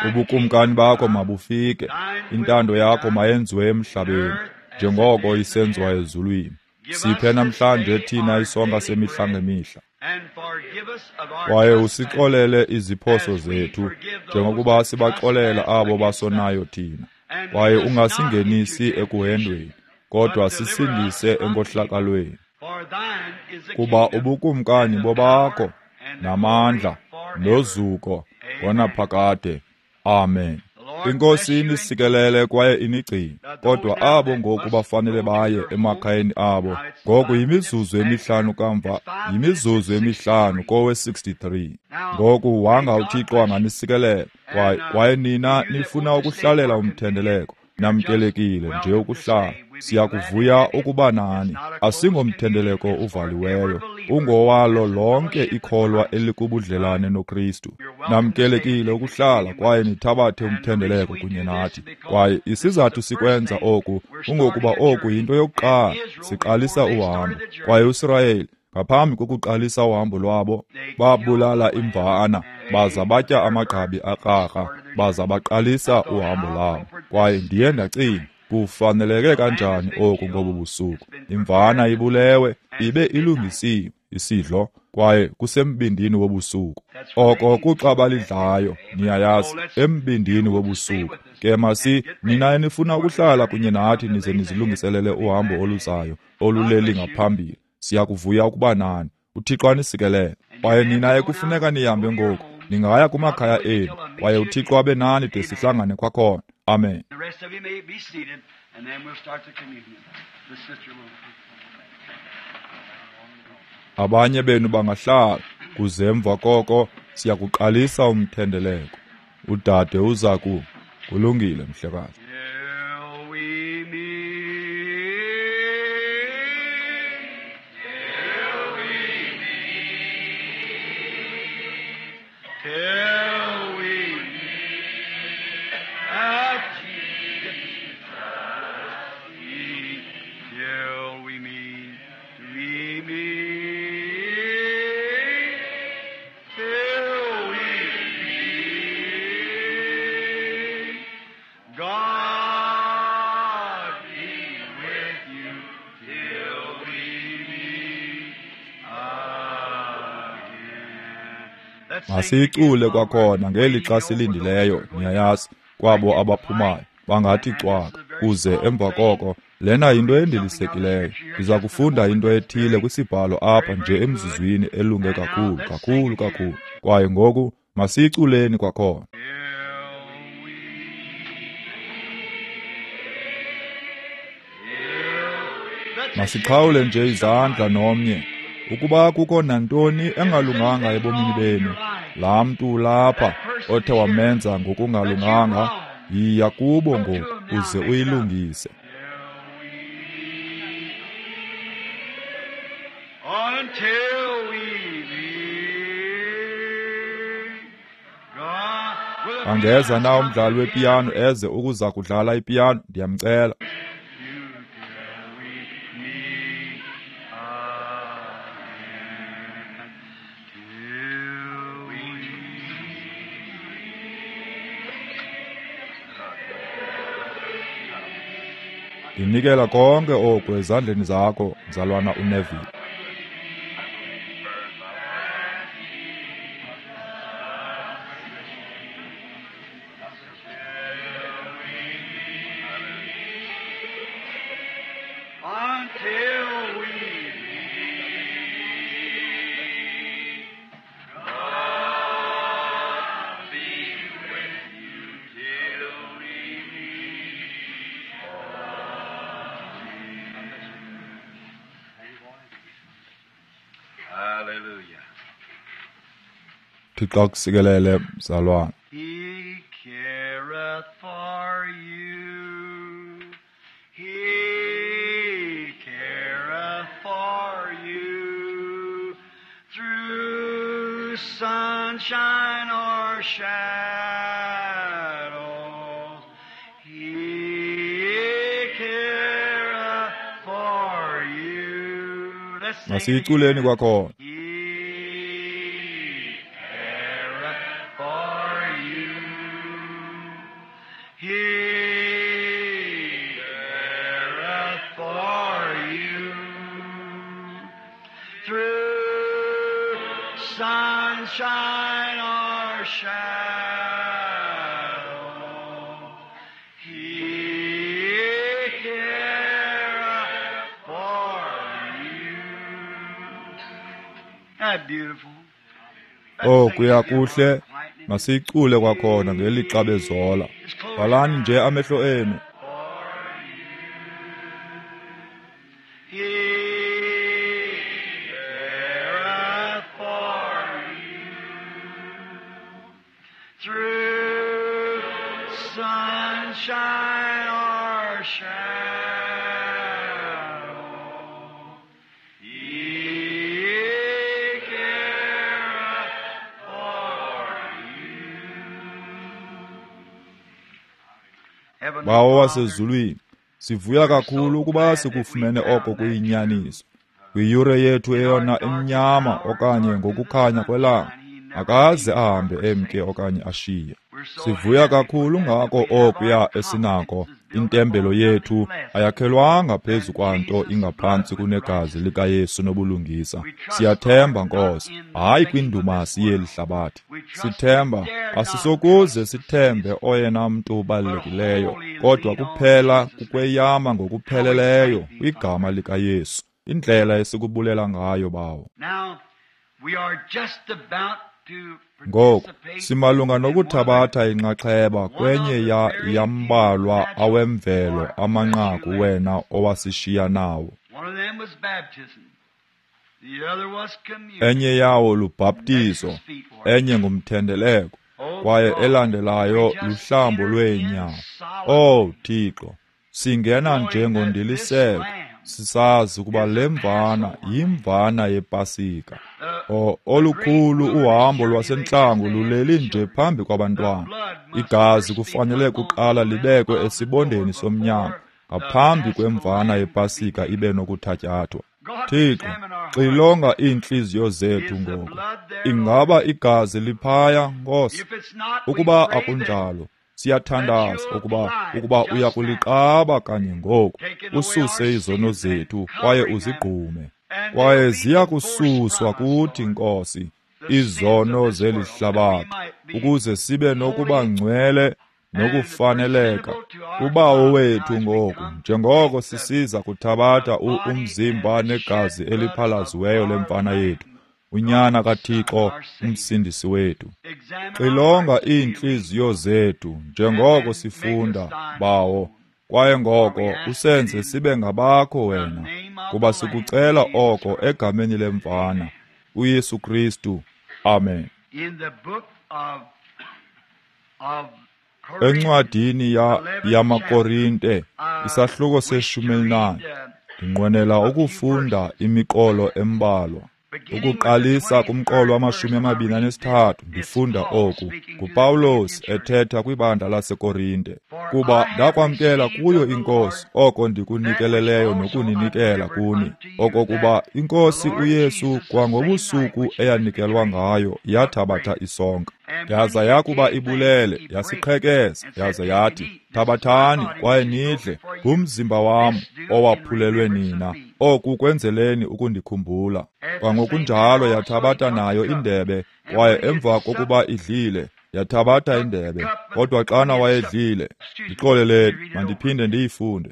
Ubukumkani bakho mabufike, intando yakho mayenziwe emhlabeni, njengoko isenziwa ezulwini. Siphe namhlanje thina isonka semihla ngemihla. and forgive us of our Kwaye trespasses, usixolele iziphoso zethu, njengokuba sibaxolela abo basonayo thina. and Kwaye lead us not ungasingenisi into ekuhendweni, kodwa sisindise enkohlakalweni. For thine is the Kuba kingdom, ubukumkani and the bobakho, power, and the namandla, glory forever. nozuko, ngonaphakade. Amen. The Lord Inkosi bless you and inisikelele kwaye inigcine, kodwa abo ngoku bafanele baye emakhayeni abo. Ngoku yimizuzu emihlanu kamva, yimizuzu emihlanu kowe sixty-three. Ngoku wanga uThixo anganisikelela, kwaye, kwaye nina nifuna ukuhlalela umthendeleko, namkelekile nje ukuhlala. Siyakuvuya ukuba nani. Asingomthendeleko uvaliweyo, ungowalo lonke ikholwa elikubudlelane noKristu. Namkelekile ukuhlala kwaye nithabathe umthendeleko kunye nathi. Kwaye isizathu sikwenza oku kungokuba oku yinto yokuqala, siqalisa uhambo. Kwaye uSirayeli, ngaphambi kokuqalisa uhambo lwabo, babulala imvana, baza batya amagqabi akrakra, baza baqalisa uhambo lwabo. Kwaye ndiye ndacinga, kufaneleke kanjani oku ngobu busuku? Imvana ibulewe, ibe ilungisiwe isidlo, kwaye kusembindini wobusuku. Oko kuxa balidlayo, niyayazi, embindini wobusuku. Ke masi, nina enifuna ukuhlala kunye nathi nize nizilungiselele uhambo oluzayo, oluleli ngaphambili. Siyakuvuya ukuba nani. uThixo anisikelele. Kwaye nina ekufuneka nihambe ngoku, ningaya kumakhaya enu, kwaye uThixo abe nani de sihlangane kwakhona. Amen. The rest of you may be seated, and then we'll start the communion. The sister will. Abanye benu bangahlala, kuze emva koko siyakuqalisa umthendeleko. Udade uza ku. Kulungile, mhlekazi. Till we meet Masiyicule kwakhona ngelixa silindileyo, niyayazi, kwabo abaphumayo bangathi cwaka, kuze emva koko lena yinto endilisekileyo. Ndiza kufunda into ethile kwisibhalo apha nje emzuzwini elunge kakhulu, kakhulu, kakhulu. Kwaye ngoku masiyiculeni kwakhona. Masiqhawule nje izandla nomnye. Ukuba kukho nantoni engalunganga ebomini benu, laa mntu lapha othe wamenza ngokungalunganga, yiya kubo ngoku uze uyilungise. Angeza na umdlali wepiyano eze ukuza kudlala ipiyano, ndiyamcela. Ndinikela konke oku ezandleni zakho, mzalwana uNeville. Until we meet, God be with you till we meet. Hallelujah. Thixo akusikelele, mzalwana. He careth for you. He careth for you through sunshine or shadows. He careth for you. Let's sing it Masiyiculeni again. kwakhona. He careth for you. He careth for you through sunshine or shadow. He careth for you. That beautiful. Oh, kuya kuhle. Masiyicule kwakhona ngelixa bezola. Valani nje amehlo enu. He careth for you through sunshine or shadow. He careth for you. Heavenly Bawo Father, wasezulwini, sivuya kakhulu ukuba sikufumene oko kuyinyaniso. Kwiyure yethu eyona emnyama okanye ngokukhanya kwelanga, akaze ahambe emke okanye ashiye. Sivuya kakhulu ngako okuya esinako. Intembelo yethu ayakhelwanga phezu kwanto ingaphantsi kunegazi likaYesu nobulungisa. Siyathemba, Nkosi, hayi kwindumasi yeli hlabathi. Sithemba asisokuze sithembe oyena mntu ubalulekileyo, kodwa kuphela kukweyama ngokupheleleyo kwigama likaYesu. Indlela esikubulela ngayo, Bawo. Now, we are just about to Ngoku participate simalunga in one of the nokuthabatha inxaxheba kwenye ya yambalwa awemvelo amanqaku wena owasishiya nawo. One of them was baptism. The other was communion. Enye yawo lubhaptizo, enye ngumthendeleko, kwaye elandelayo luhlambo lweenyawo. Oh Thixo, singena nje ngondiliseko, sisazi ukuba le mvana yimvana yePasika. O olukhulu uhambo lwasentlango luleli nje phambi kwabantwana. Igazi kufanele kuqala libekwe esibondeni somnyango ngaphambi kwemvana yePasika ibe nokuthatyathwa. Thixo, xilonga iintliziyo zethu ngoku. Ingaba igazi liphaya, Nkosi? If it's not, we Ukuba pray that akunjalo, siyathandaza ukuba ukuba uya kuliqaba kanye ngoku, ususe izono zethu kwaye uzigqume. Kwaye ziya kususwa kuthi, Nkosi, izono zeli hlabathi, ukuze sibe nokuba ngcwele nokufaneleka kuBawo wethu ngoku, njengoko sisiza kuthabatha umzimba negazi eliphalaziweyo lemfana yethu, uNyana kaThixo, uMsindisi wethu. Xilonga iintliziyo zethu njengoko sifunda, Bawo, kwaye ngoko usenze sibe ngabakho wena, kuba sikucela oko egameni lemfana, uYesu Kristu. Amen. Encwadini ya yamaKorinte, isahluko seshumi elinane, ndinqwenela ukufunda imiqolo embalwa. Ukuqalisa kumqolo wamashumi amabini anesithathu, ndifunda oku nguPawulos ethetha kwibandla laseKorinte. Kuba ndakwamkela kuyo iNkosi oko ndikunikeleleyo nokuninikela kuni, okokuba iNkosi uYesu kwangobusuku eyanikelwa ngayo yathabatha isonka, yaza yakuba ibulele yasiqhekeza, yaza yathi, thabathani kwaye nidle, ngumzimba wam owaphulelwe nina, oku kwenzeleni ukundikhumbula. Kwangokunjalo yathabatha nayo indebe, kwaye emva kokuba idlile yathabatha indebe. Kodwa xana wayedlile, ndixoleleni, mandiphinde ndiyifunde.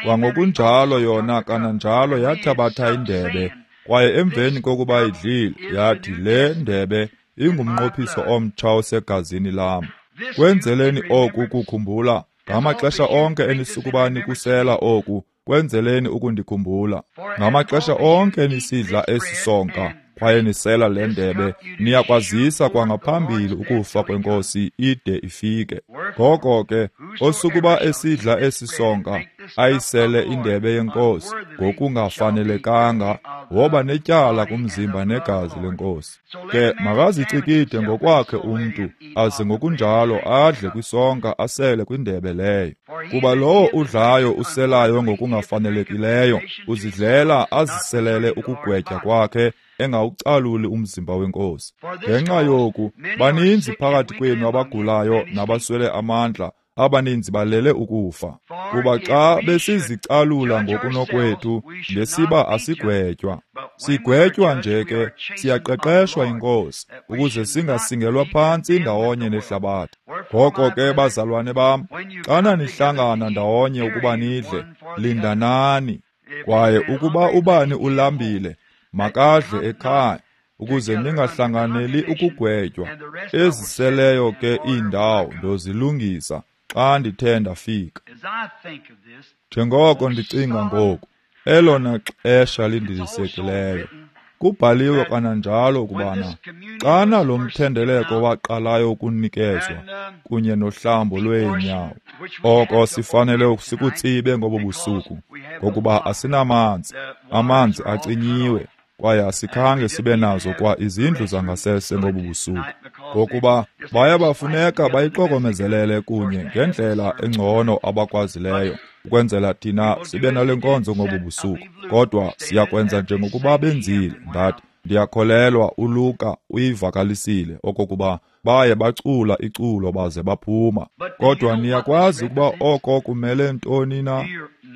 Kwangokunjalo yona kananjalo yathabatha indebe, kwaye emveni kokuba idlile yathi, le ndebe ingumnqophiso omtsha osegazini lam. Kwenzeleni oku kukhumbula, ngamaxesha onke enisukuba nikusela oku, kwenzeleni ukundikhumbula. Ngamaxesha onke enisidla esi sonka kwaye nisela le ndebe, niyakwazisa kwangaphambili ukufa kweNkosi ide ifike. Ngoko ke, osukuba esidla esi sonka ayisele indebe yeNkosi ngokungafanelekanga, woba netyala kumzimba negazi leNkosi. Ke makazicikide ngokwakhe umntu, aze ngokunjalo adle kwisonka asele kwindebe leyo. Kuba lowo udlayo uselayo ngokungafanelekileyo, uzidlela aziselele ukugwetya kwakhe, engawucaluli umzimba weNkosi. Ngenxa yoku, baninzi phakathi kwenu abagulayo nabaswele amandla, abaninzi balele ukufa. Kuba xa besizicalula ngokunokwethu, ngesiba asigwetywa. Sigwetywa nje ke, siyaqeqeshwa yiNkosi, ukuze singasingelwa phantsi ndawonye nehlabathi. Ngoko ke, bazalwane bam, xana nihlangana ndawonye ukuba nidle, lindanani. Kwaye ukuba ubani ulambile, makadle ekhaya, ukuze ningahlanganeli ukugwetywa. Eziseleyo ke iindawo ndozilungisa xa ndithe ndafika. Njengoko ndicinga ngoku, elona xesha lindilisekileyo. Kubhaliwe kananjalo ukubana xana lo mthendeleko waqalayo ukunikezwa kunye nohlambo lweenyawo, oko sifanele sikutsibe ngobo busuku, ngokuba asinamanzi, amanzi acinyiwe, kwaye asikhange sibe nazo kwa izindlu zangasese ngobu busuku, ngokuba baya bafuneka bayixokomezelele kunye ngendlela engcono abakwazileyo, ukwenzela thina sibe nale nkonzo ngobu busuku. Kodwa siyakwenza njengokuba benzile. Ndathi, ndiyakholelwa uLuka uyivakalisile okokuba baye bacula iculo baze baphuma. Kodwa niyakwazi ukuba oko kumele ntoni na?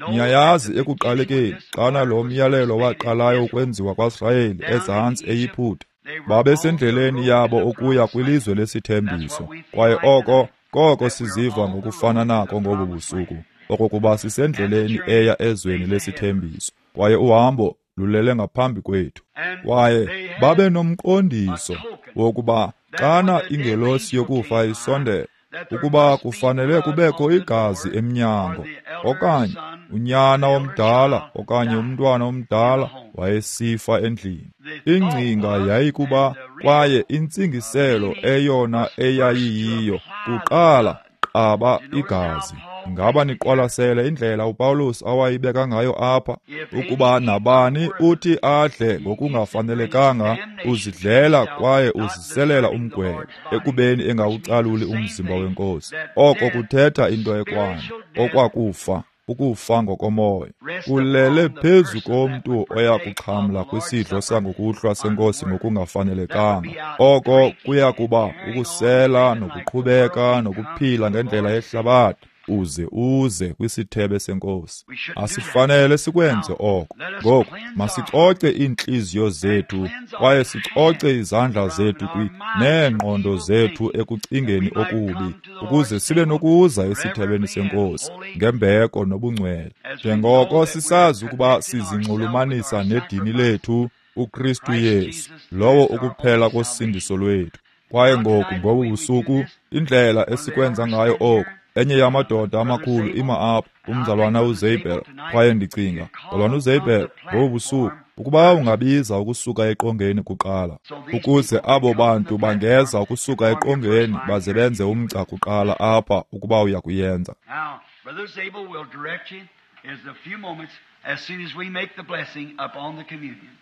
Niyayazi ekuqalekeni, xana lo myalelo waqalayo ukwenziwa kwaSirayeli ezantsi eYiputa, babesendleleni yabo ukuya kwilizwe lesithembiso. Kwaye oko koko siziva ngokufana nako ngobu busuku, okokuba sisendleleni eya ezweni lesithembiso, kwaye uhambo lulele ngaphambi kwethu. Kwaye babe nomqondiso wokuba xana ingelosi yokufa isondela, ukuba kufanele kubekho igazi emnyango, okanye unyana omdala okanye umntwana omdala wayesifa endlini. Ingcinga yayikuba, kwaye intsingiselo eyona eyayiyiyo, kuqala qaba igazi. Ngaba niqwalasele indlela uPawulos awayibeka ngayo apha, ukuba nabani uthi adle ngokungafanelekanga, uzidlela kwaye uziselela umgwebo, ekubeni engawucaluli umzimba weNkosi. Oko kuthetha into ekwana, okwakufa, ukufa ngokomoya, kulele phezu komntu oya kuxhamla kwisidlo sangokuhlwa senkosi ngokungafanelekanga. Oko kuya kuba ukusela nokuqhubeka nokuphila ngendlela yehlabathi, uze uze kwisithebe senkosi. Asifanele sikwenze oko. Ngoku masicoce iintliziyo zethu kwaye sicoce izandla zethu kwi neengqondo zethu ekucingeni okubi, ukuze sibe nokuza esithebeni senkosi ngembeko nobungcwele, njengoko sisazi ukuba sizinxulumanisa nedini lethu uKristu Yesu, lowo ukuphela kosindiso lwethu. Kwaye ngoku ngobu busuku, indlela esikwenza ngayo oku, enye yamadoda amakhulu ima apha, umzalwana uZabel. Kwaye ndicinga, mzalwana uZabel, ngobu busuku, ukuba ungabiza ukusuka eqongeni kuqala, ukuze abo bantu bangeza ukusuka eqongeni baze benze umgca kuqala apha, ukuba uya kuyenza. Now, Brother Zabel will direct you in a few moments as soon as we make the blessing upon the communion.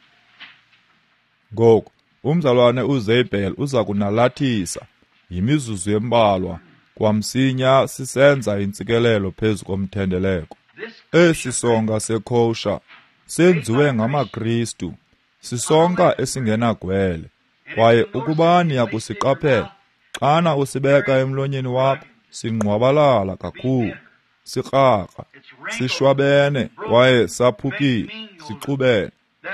Ngoku umzalwane uZabel uza kunalathisa yimizuzu embalwa kwamsinya sisenza intsikelelo phezu komthendeleko. Esi sonka sekosha senziwe ngamaKristu, sisonka esingenagwele, kwaye ukuba niyakusiqaphela, xana usibeka emlonyeni wakho, singqwabalala kakhulu, sikrakra, sishwabene kwaye saphukile, sixubene.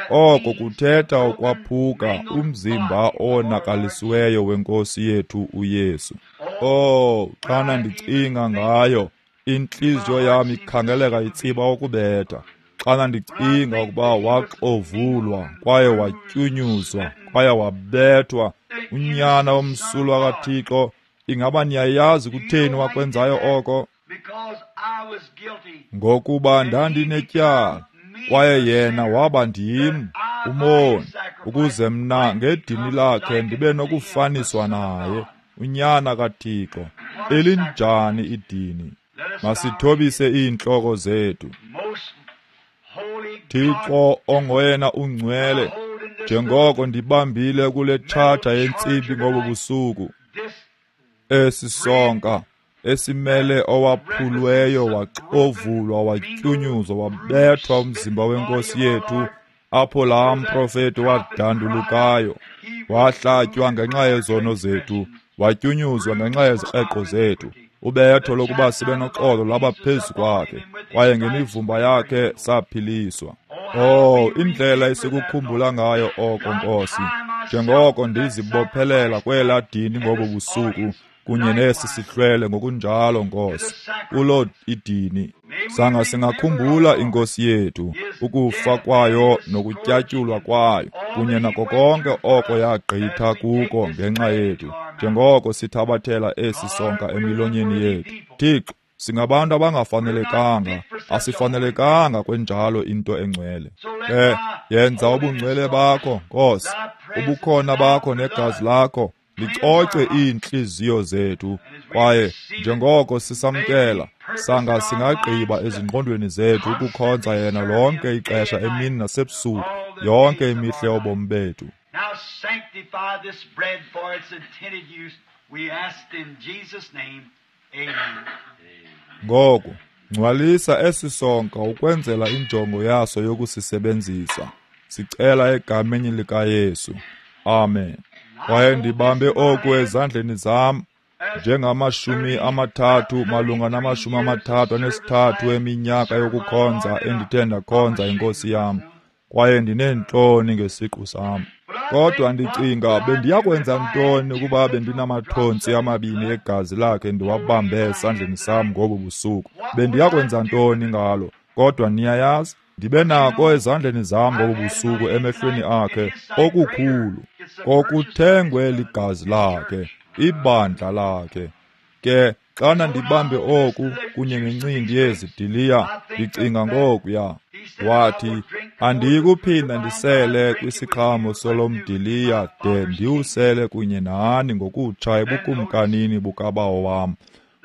Oko kuthetha ukwaphuka umzimba owonakalisiweyo wenkosi yethu uYesu. Oh, xana ndicinga ngayo, intliziyo yam ikhangeleka itsiba ukubetha. Xana ndicinga ukuba waxovulwa kwaye watyunyuzwa kwaye wabethwa unyana omsulwa kaThixo, ingaba niyayazi kutheni wakwenzayo oko? Ngokuba ndandinetyala, kwaye yena waba ndim, umoni, ukuze mna ngedini lakhe ndibe nokufaniswa naye, unyana kaThixo. Elinjani idini! Masithobise iintloko zethu. Thixo ongoyena ungcwele, njengoko ndibambile kule tshatha yentsimbi ngobu busuku, esi sonka esimele owaphulweyo waxovulwa watyunyuzwa wabethwa umzimba wenkosi yethu, apho laa mprofeti wadandulukayo, wahlatywa ngenxa yezono zethu, watyunyuzwa ngenxa yezikreqo zethu. Ubetho lokuba sibe noxolo lwaba phezu kwakhe, kwaye ngemivumba yakhe saphiliswa. Oh, indlela esikukhumbula ngayo oko, Nkosi, njengoko ndizibophelela kwelaa dini ngobu busuku kunye nesi sihlwele ngokunjalo, Nkosi, kulo idini. Sanga singakhumbula inkosi yethu, ukufa kwayo nokutyatyulwa kwayo, kunye nako konke oko yagqitha kuko ngenxa yethu, njengoko sithabathela esi sonka emilonyeni yethu. Thixo, singabantu abangafanelekanga, asifanelekanga kwenjalo into engcwele. Ke yenza ubungcwele bakho, Nkosi, ubukhona bakho negazi lakho licoce iintliziyo zethu, kwaye njengoko sisamkela, sanga singagqiba ezingqondweni zethu ukukhonza yena lonke ixesha emini nasebusuku, yonke imihla yobomi bethu. Now sanctify this bread for its intended use, we ask in Jesus' name. Amen. Ngoku ngcwalisa esi sonka ukwenzela injongo yaso yokusisebenzisa. Sicela egameni likaYesu. Amen. Kwaye ndibambe oku ezandleni zam njengamashumi amathathu malunga namashumi amathathu anesithathu eminyaka yokukhonza endithe ndakhonza inkosi yam, kwaye ndineentloni ngesiqu sam. Kodwa ndicinga bendiyakwenza ntoni ukuba bendinamathontsi amabini egazi lakhe ndiwabambe esandleni sam ngobu busuku? Bendiyakwenza ntoni ngalo? Kodwa niyayazi, ndibe nako ezandleni zam ngobu busuku emehlweni akhe okukhulu, kokuthengwe ligazi lakhe, ibandla lakhe. Ke xana ndibambe oku kunye nencindi yezidiliya, ndicinga ngokuya. Wathi, andiyikuphinda ndisele kwisiqhamo solomdiliya de ndiwusele kunye nani ngokutsha ebukumkanini bukabawo wam.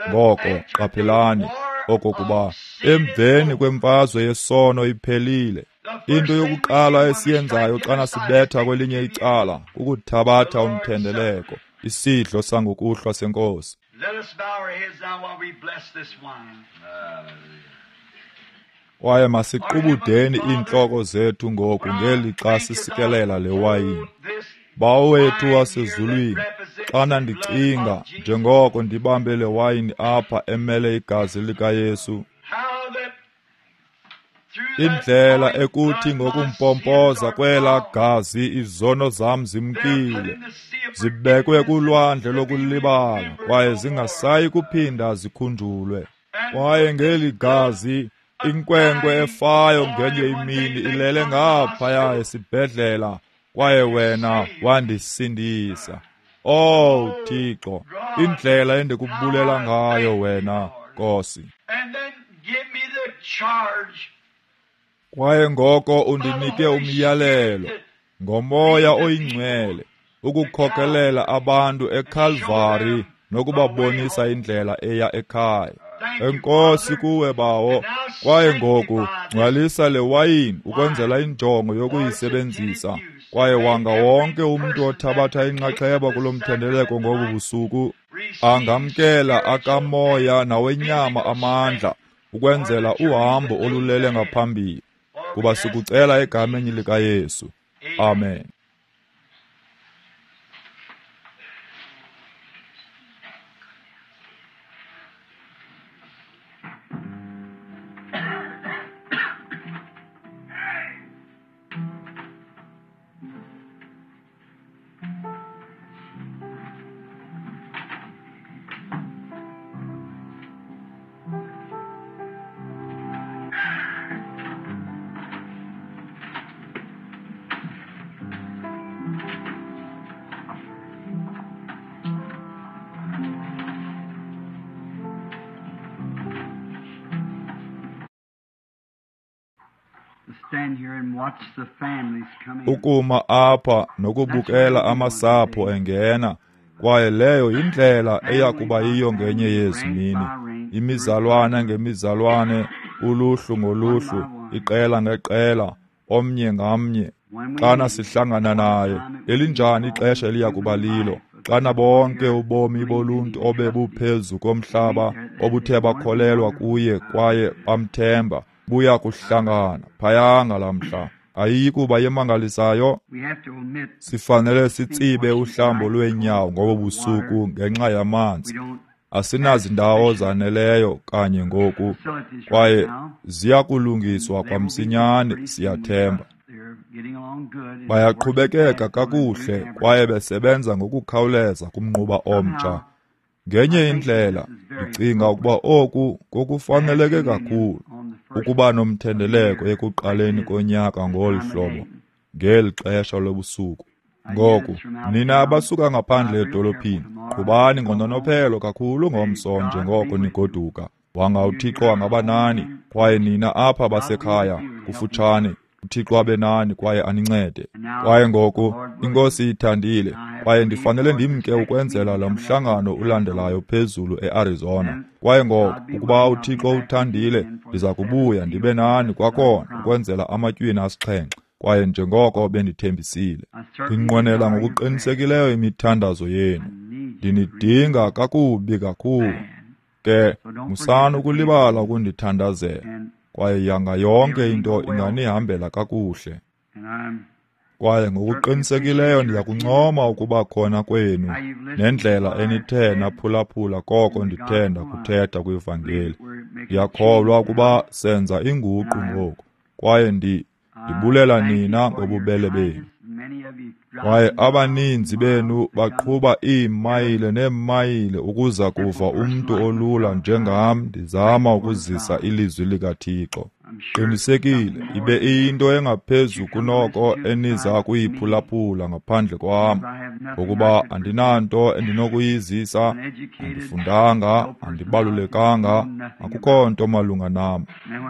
Ngoko qaphelani okokuba emveni kwemfazwe yesono iphelile, into yokuqala esiyenzayo xana sibetha kwelinye icala kukuthabatha umthendeleko, isidlo sangokuhlwa senkosi. Let us bow our heads now while we bless this wine. Kwaye masiqubudeni iintloko zethu ngoku ngelixa sisikelela le wayini. Bawo wethu wasezulwini, xana ndicinga njengoko ndibambe le wayini apha emele igazi likaYesu, indlela ekuthi ngokumpompoza kwela gazi izono zam zimkile, zibekwe kulwandle lokulibala kwaye zingasayi kuphinda zikhunjulwe. Kwaye ngeli gazi inkwenkwe efayo ngenye imini ilele ngaphaya esibhedlela, kwaye wena wandisindisa. Oh Thixo, indlela endikubulela ngayo wena, Nkosi. Kwaye ngoko undinike umyalelo ngoMoya oyiNgcwele ukukhokelela abantu eKalvari nokubabonisa indlela eya ekhaya. Enkosi kuwe, Bawo. Kwaye ngoku ngcwalisa le wayini ukwenzela injongo yokuyisebenzisa. Kwaye wanga wonke umntu othabatha inxaxheba kulo mthendeleko ngobu busuku angamkela akamoya nawenyama amandla ukwenzela uhambo olulele ngaphambili. Kuba sikucela egameni likaYesu. Amen. Ukuma apha nokubukela amasapho engena, kwaye leyo yindlela eyakuba yiyo ngenye yezi mini. Imizalwana ngemizalwane, uluhlu ngoluhlu, iqela ngeqela, omnye ngamnye. Xana sihlangana naye, elinjani ixesha eliya kuba lilo, xana bonke ubomi boluntu obebuphezu komhlaba obuthe bakholelwa kuye kwaye bamthemba buya kuhlangana phaya ngalamhla. Ayikuba yemangalisayo. Sifanele sitsibe uhlambo lweenyawo ngobo busuku ngenxa yamanzi. Asinazindawo zaneleyo kanye ngoku, kwaye ziyakulungiswa kwamsinyane, siyathemba. Bayaqhubekeka kakuhle kwaye besebenza ngokukhawuleza kumnquba omtsha. Ngenye indlela, ndicinga ukuba oku kokufaneleke kakhulu ukuba nomthendeleko ekuqaleni konyaka ngolu hlobo, ngeli xesha lobusuku. Ngoku, nina abasuka ngaphandle edolophini, qhubani ngononophelo kakhulu ngomso njengoko nigoduka. Wanga uThixo angaba nani, kwaye nina apha basekhaya kufutshane, uThixo abe nani kwaye anincede. Kwaye ngoku, iNkosi ithandile, kwaye ndifanele ndimke ukwenzela lo mhlangano ulandelayo phezulu eArizona. Kwaye ngoku, ukuba uThixo uthandile, ndiza kubuya ndibe nani kwakhona ukwenzela amatywina asixhenxe. Kwaye njengoko bendithembisile, ndinqwenela ngokuqinisekileyo imithandazo yenu. Ndinidinga kakubi kakhulu. Ke musani ukulibala ukundithandazela. Kwaye yanga yonke into inganihambela kakuhle. Kwaye ngokuqinisekileyo ndiyakuncoma ukuba khona kwenu nendlela enithe naphulaphula koko ndithe ndakuthetha kwivangeli. Ndiyakholwa ukuba senza inguqu ngoku, kwaye ndi ndibulela nina ngobubele benu. Kwaye abaninzi benu baqhuba iimayile neemayile ukuza kuva umntu olula njengam ndizama ukuzisa ilizwi likaThixo. Qinisekile, ibe iyinto engaphezu kunoko eniza kuyiphulaphula ngaphandle kwam, ngokuba andinanto endinokuyizisa, andifundanga, andibalulekanga, akukho nto malunga nam.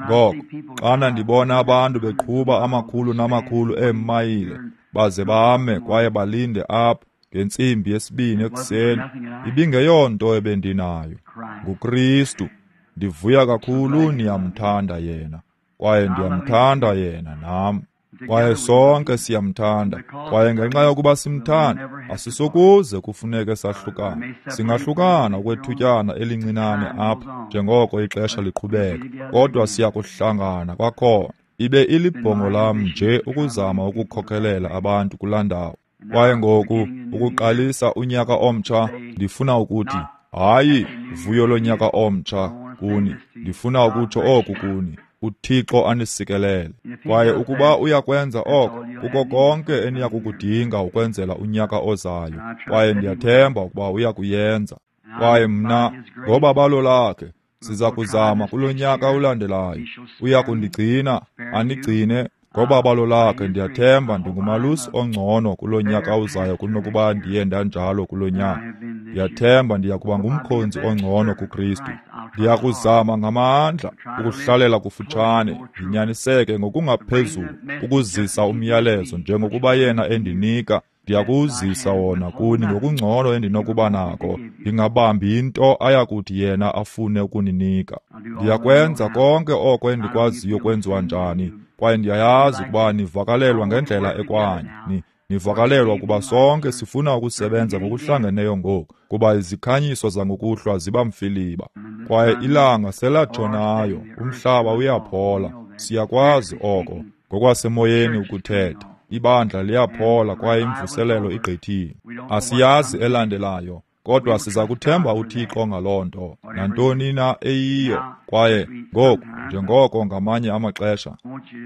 Ngoko, xana ndibona abantu beqhuba amakhulu namakhulu eemayile, baze bame kwaye balinde apha ngentsimbi yesibini ekuseni, ibingeyonto ebendinayo. NguKristu. Ndivuya kakhulu niyamthanda yena, kwaye ndiyamthanda yena nam. Kwaye sonke siyamthanda, kwaye ngenxa yokuba simthanda, asisokuze kufuneke sahlukane. Singahlukana okwethutyana elincinane apha njengoko ixesha liqhubeka, kodwa siyakuhlangana kwakhona. Ibe ilibhongo lam nje ukuzama ukukhokelela abantu kulaa ndawo. Kwaye ngoku ukuqalisa unyaka omtsha, ndifuna ukuthi hayi vuyo lonyaka omtsha kuni, ndifuna ukutsho oku kuni, uThixo anisikelele. Kwaye ukuba uyakwenza oko, kuko konke eniyakukudinga ukwenzela unyaka ozayo. Kwaye ndiyathemba ukuba uyakuyenza. Kwaye mna, ngobabalo lakhe, siza kuzama kulo nyaka ulandelayo. Uyakundigcina, anigcine ngobabalo lakhe. Ndiyathemba ndingumalusi ongcono kulo nyaka uzayo kunokuba ndiye ndanjalo kulo nyaka. Ndiyathemba ndiyakuba ngumkhonzi ongcono kuKristu. Ndiyakuzama ngamandla ukuhlalela kufutshane, ndinyaniseke ngokungaphezulu ukuzisa umyalezo njengokuba yena endinika. Ndiyakuzisa wona kuni ngokungcono endinokuba nako, ndingabambi into ayakuthi yena afune ukuninika. Ndiyakwenza konke oko endikwaziyo kwenziwa njani, kwaye ndiyayazi ukuba nivakalelwa ngendlela ekwanye. Ni nivakalelwa ukuba sonke sifuna ukusebenza ngokuhlangeneyo ngoku, kuba izikhanyiso zangokuhlwa ziba mfiliba. Kwaye ilanga selatshonayo, umhlaba uyaphola. Siyakwazi oko ngokwasemoyeni ukuthetha. Ibandla liyaphola kwaye imvuselelo igqithile. Asiyazi elandelayo, kodwa siza kuthemba uThixo ngaloo nto, nantoni na eyiyo. Kwaye ngoku, njengoko ngamanye amaxesha,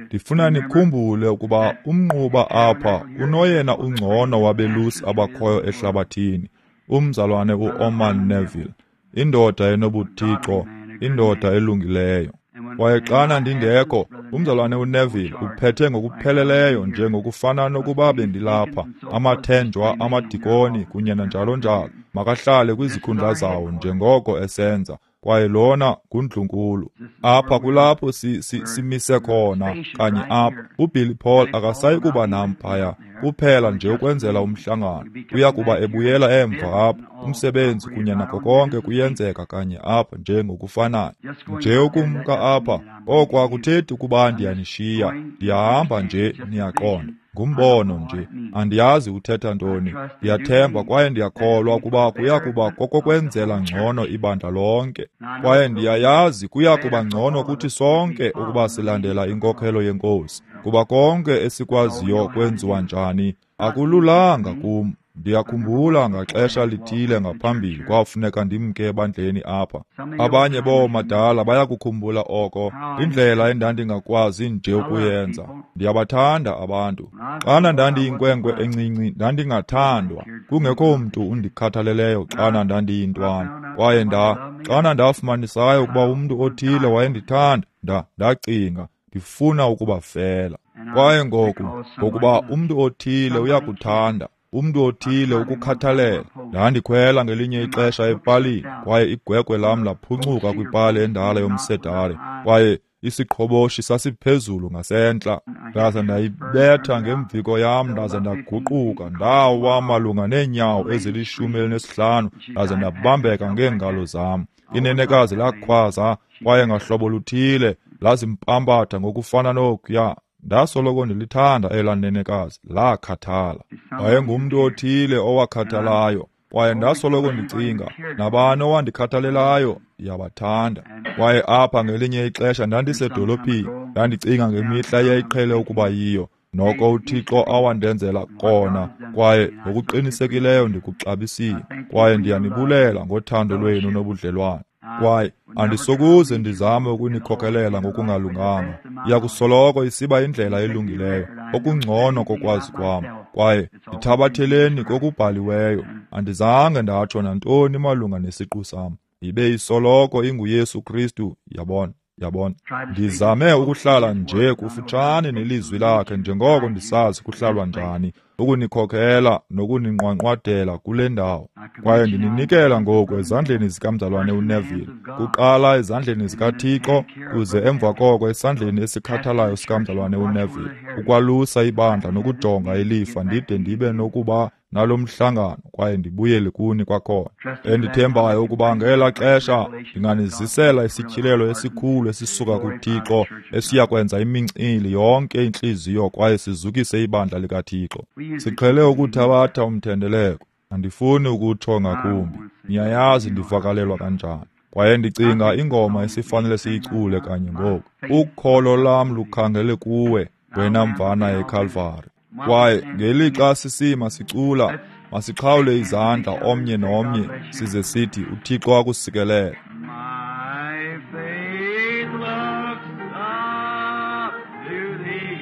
ndifuna nikhumbule ukuba umnquba apha unoyena ungcono wabelusi abakhoyo ehlabathini, umzalwane uOrman Neville, indoda enobuthixo, indoda elungileyo. Kwaye xana ndingekho, umzalwane uNeville uphethe ngokupheleleyo njengokufana nokuba bendilapha. Amathenjwa, amadikoni kunye nanjalo njalo makahlale kwizikhundla zawo njengoko esenza. Kwaye lona ngundlunkulu. Apha kulapho si, si, simise khona kanye apha. UBilly Paul akasayi kuba nam phaya, kuphela nje ukwenzela umhlangano. Uya kuba ebuyela emva apha, umsebenzi kunye nako konke kuyenzeka kanye apha njengokufanayo. Nje ukumka apha, oko akuthethi ukuba ndiyanishiya, ndiyahamba nje, niyaqonda. Ngumbono nje, andiyazi uthetha ntoni. Ndiyathemba kwaye ndiyakholwa ukuba kuya kuba kokokwenzela ngcono ibandla lonke. Kwaye ndiyayazi kuya kuba ngcono kuthi sonke ukuba silandela inkokhelo yeNkosi, kuba konke esikwaziyo kwenziwa njani akululanga kum. Ndiyakhumbula ngaxesha lithile ngaphambili kwafuneka ndimke ebandleni apha. Abanye boomadala bayakukhumbula oko, indlela endandingakwazi nje ukuyenza. Ndiyabathanda abantu. Xana ndandiyinkwenkwe encinci ndandingathandwa, kungekho mntu undikhathaleleyo xana ndandiyintwana. Kwaye nda xana ndafumanisayo ukuba umntu othile wayendithanda, nda ndacinga ndifuna ukubafela. Kwaye ngoku, ngokuba umntu othile uyakuthanda, umntu othile ukukhathalela. Ndandikhwela ngelinye ixesha epalini, kwaye igwegwe lam laphuncuka kwipali endala yomsedare, kwaye isiqhoboshi sasiphezulu ngasentla. Ndaza ndayibetha ngemviko yam, ndaza ndaguquka, ndawa malunga neenyawo ezilishumi elinesihlanu, ndaza ndabambeka ngeengalo zam. Inenekazi lakhwaza, kwaye ngahlobo luthile lazimpambatha ngokufana nokuya. Ndasoloko ndilithanda elaa nenekazi, lakhathala. Wayengumntu othile owakhathalayo, kwaye ndasoloko ndicinga, nabani owandikhathalelayo, ndiyabathanda. Kwaye apha ngelinye ixesha ndandisedolophini, ndandicinga ngemihla eyayiqhele ukuba yiyo, noko uThixo awandenzela kona, kwaye ngokuqinisekileyo ndikuxabisile. Kwaye ndiyanibulela ngothando lwenu nobudlelwane. Kwaye andisokuze ndizame ukunikhokelela ngokungalunganga. Iyakusoloko isiba indlela elungileyo, okungcono kokwazi kwam. Kwaye ndithabatheleni kokubhaliweyo, andizange ndatsho nantoni malunga nesiqu sam. Ibe isoloko inguYesu Kristu, yabona. Yabona, ndizame ukuhlala nje kufutshane nelizwi lakhe njengoko ndisazi kuhlalwa njani, ukunikhokhela nokuninqwanqwadela kule ndawo. Kwaye ndininikela ngoku ezandleni zikamzalwane uNeville, kuqala ezandleni zikaThixo, kuze emva koko esandleni esikhathalayo sikamzalwane uNeville, ukwalusa ibandla nokujonga ilifa ndide ndibe nokuba nalo mhlangano kwaye ndibuyele kuni kwakhona. Endithembayo ukuba ngela xesha ndinganizisela isityhilelo esikhulu esisuka kuThixo esiya kwenza imincili yonke intliziyo kwaye sizukise ibandla likaThixo. Siqhele ukuthabatha umthendeleko, andifuni ukutsho ngakumbi. Niyayazi ndivakalelwa kanjani. Kwaye ndicinga ingoma esifanele siyicule kanye ngoku. Ukholo lam lukhangele kuwe, wena mvana eKalvari. Kwaye ngelixa sisima sicula, masiqhawule izandla omnye nomnye size sithi uThixo akusikelele. My faith looks up to thee.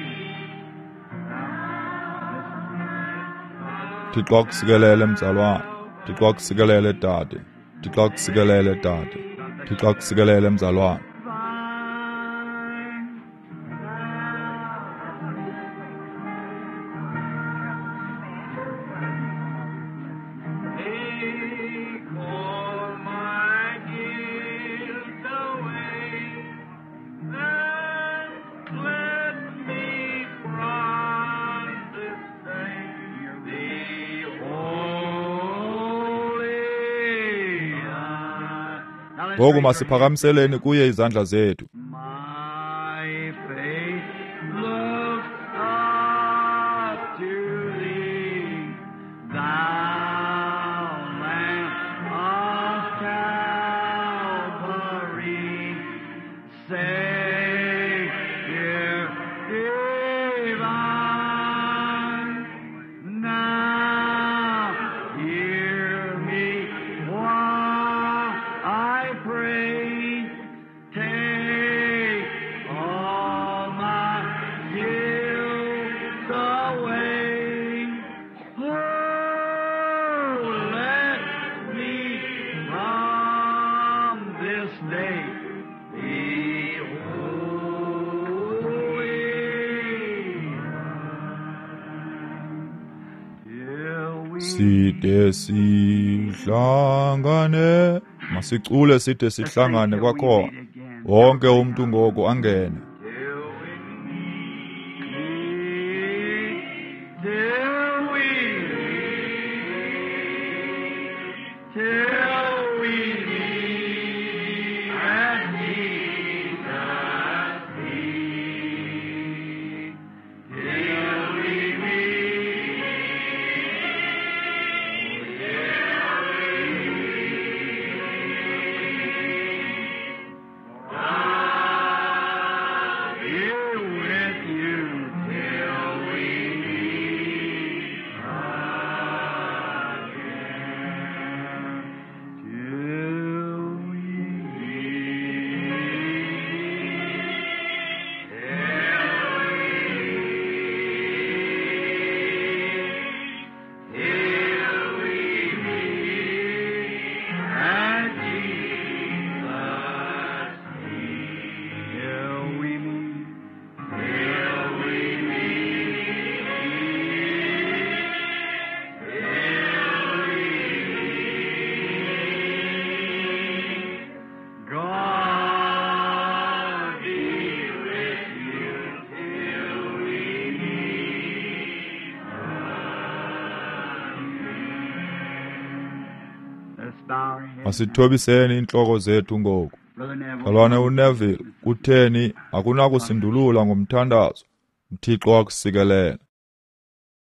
Thixo akusikelele mzalwane. Thixo akusikelele dade. Thixo akusikelele dade. Thixo akusikelele mzalwane. Take all my guilt away, and cleanse me from this day. Be holy. Ngoku masiphakamiseleni kuye izandla zethu. My faith looks up to thee, thou Lamb of Calvary, Savior divine. Now hear me while I pray. Take all my guilt away. Oh, let me from this day be holy. Till we Side sihlangane, masicule side sihlangane kwakhona. Wonke umntu ngoku angene. Till we meet, till we meet, till we meet at Jesus' feet. Till we meet, till we meet. God be with you till we meet again. Till we meet, till we meet, till we meet at Jesus' feet. Till we meet, till we meet, till we meet. God be with you till we meet again. Let's bow our heads. Masithobiseni iintloko zethu ngoku. Brother Neville. Mzalwane uNeville, kutheni akunakusindulula ngomthandazo? UThixo akusikelele.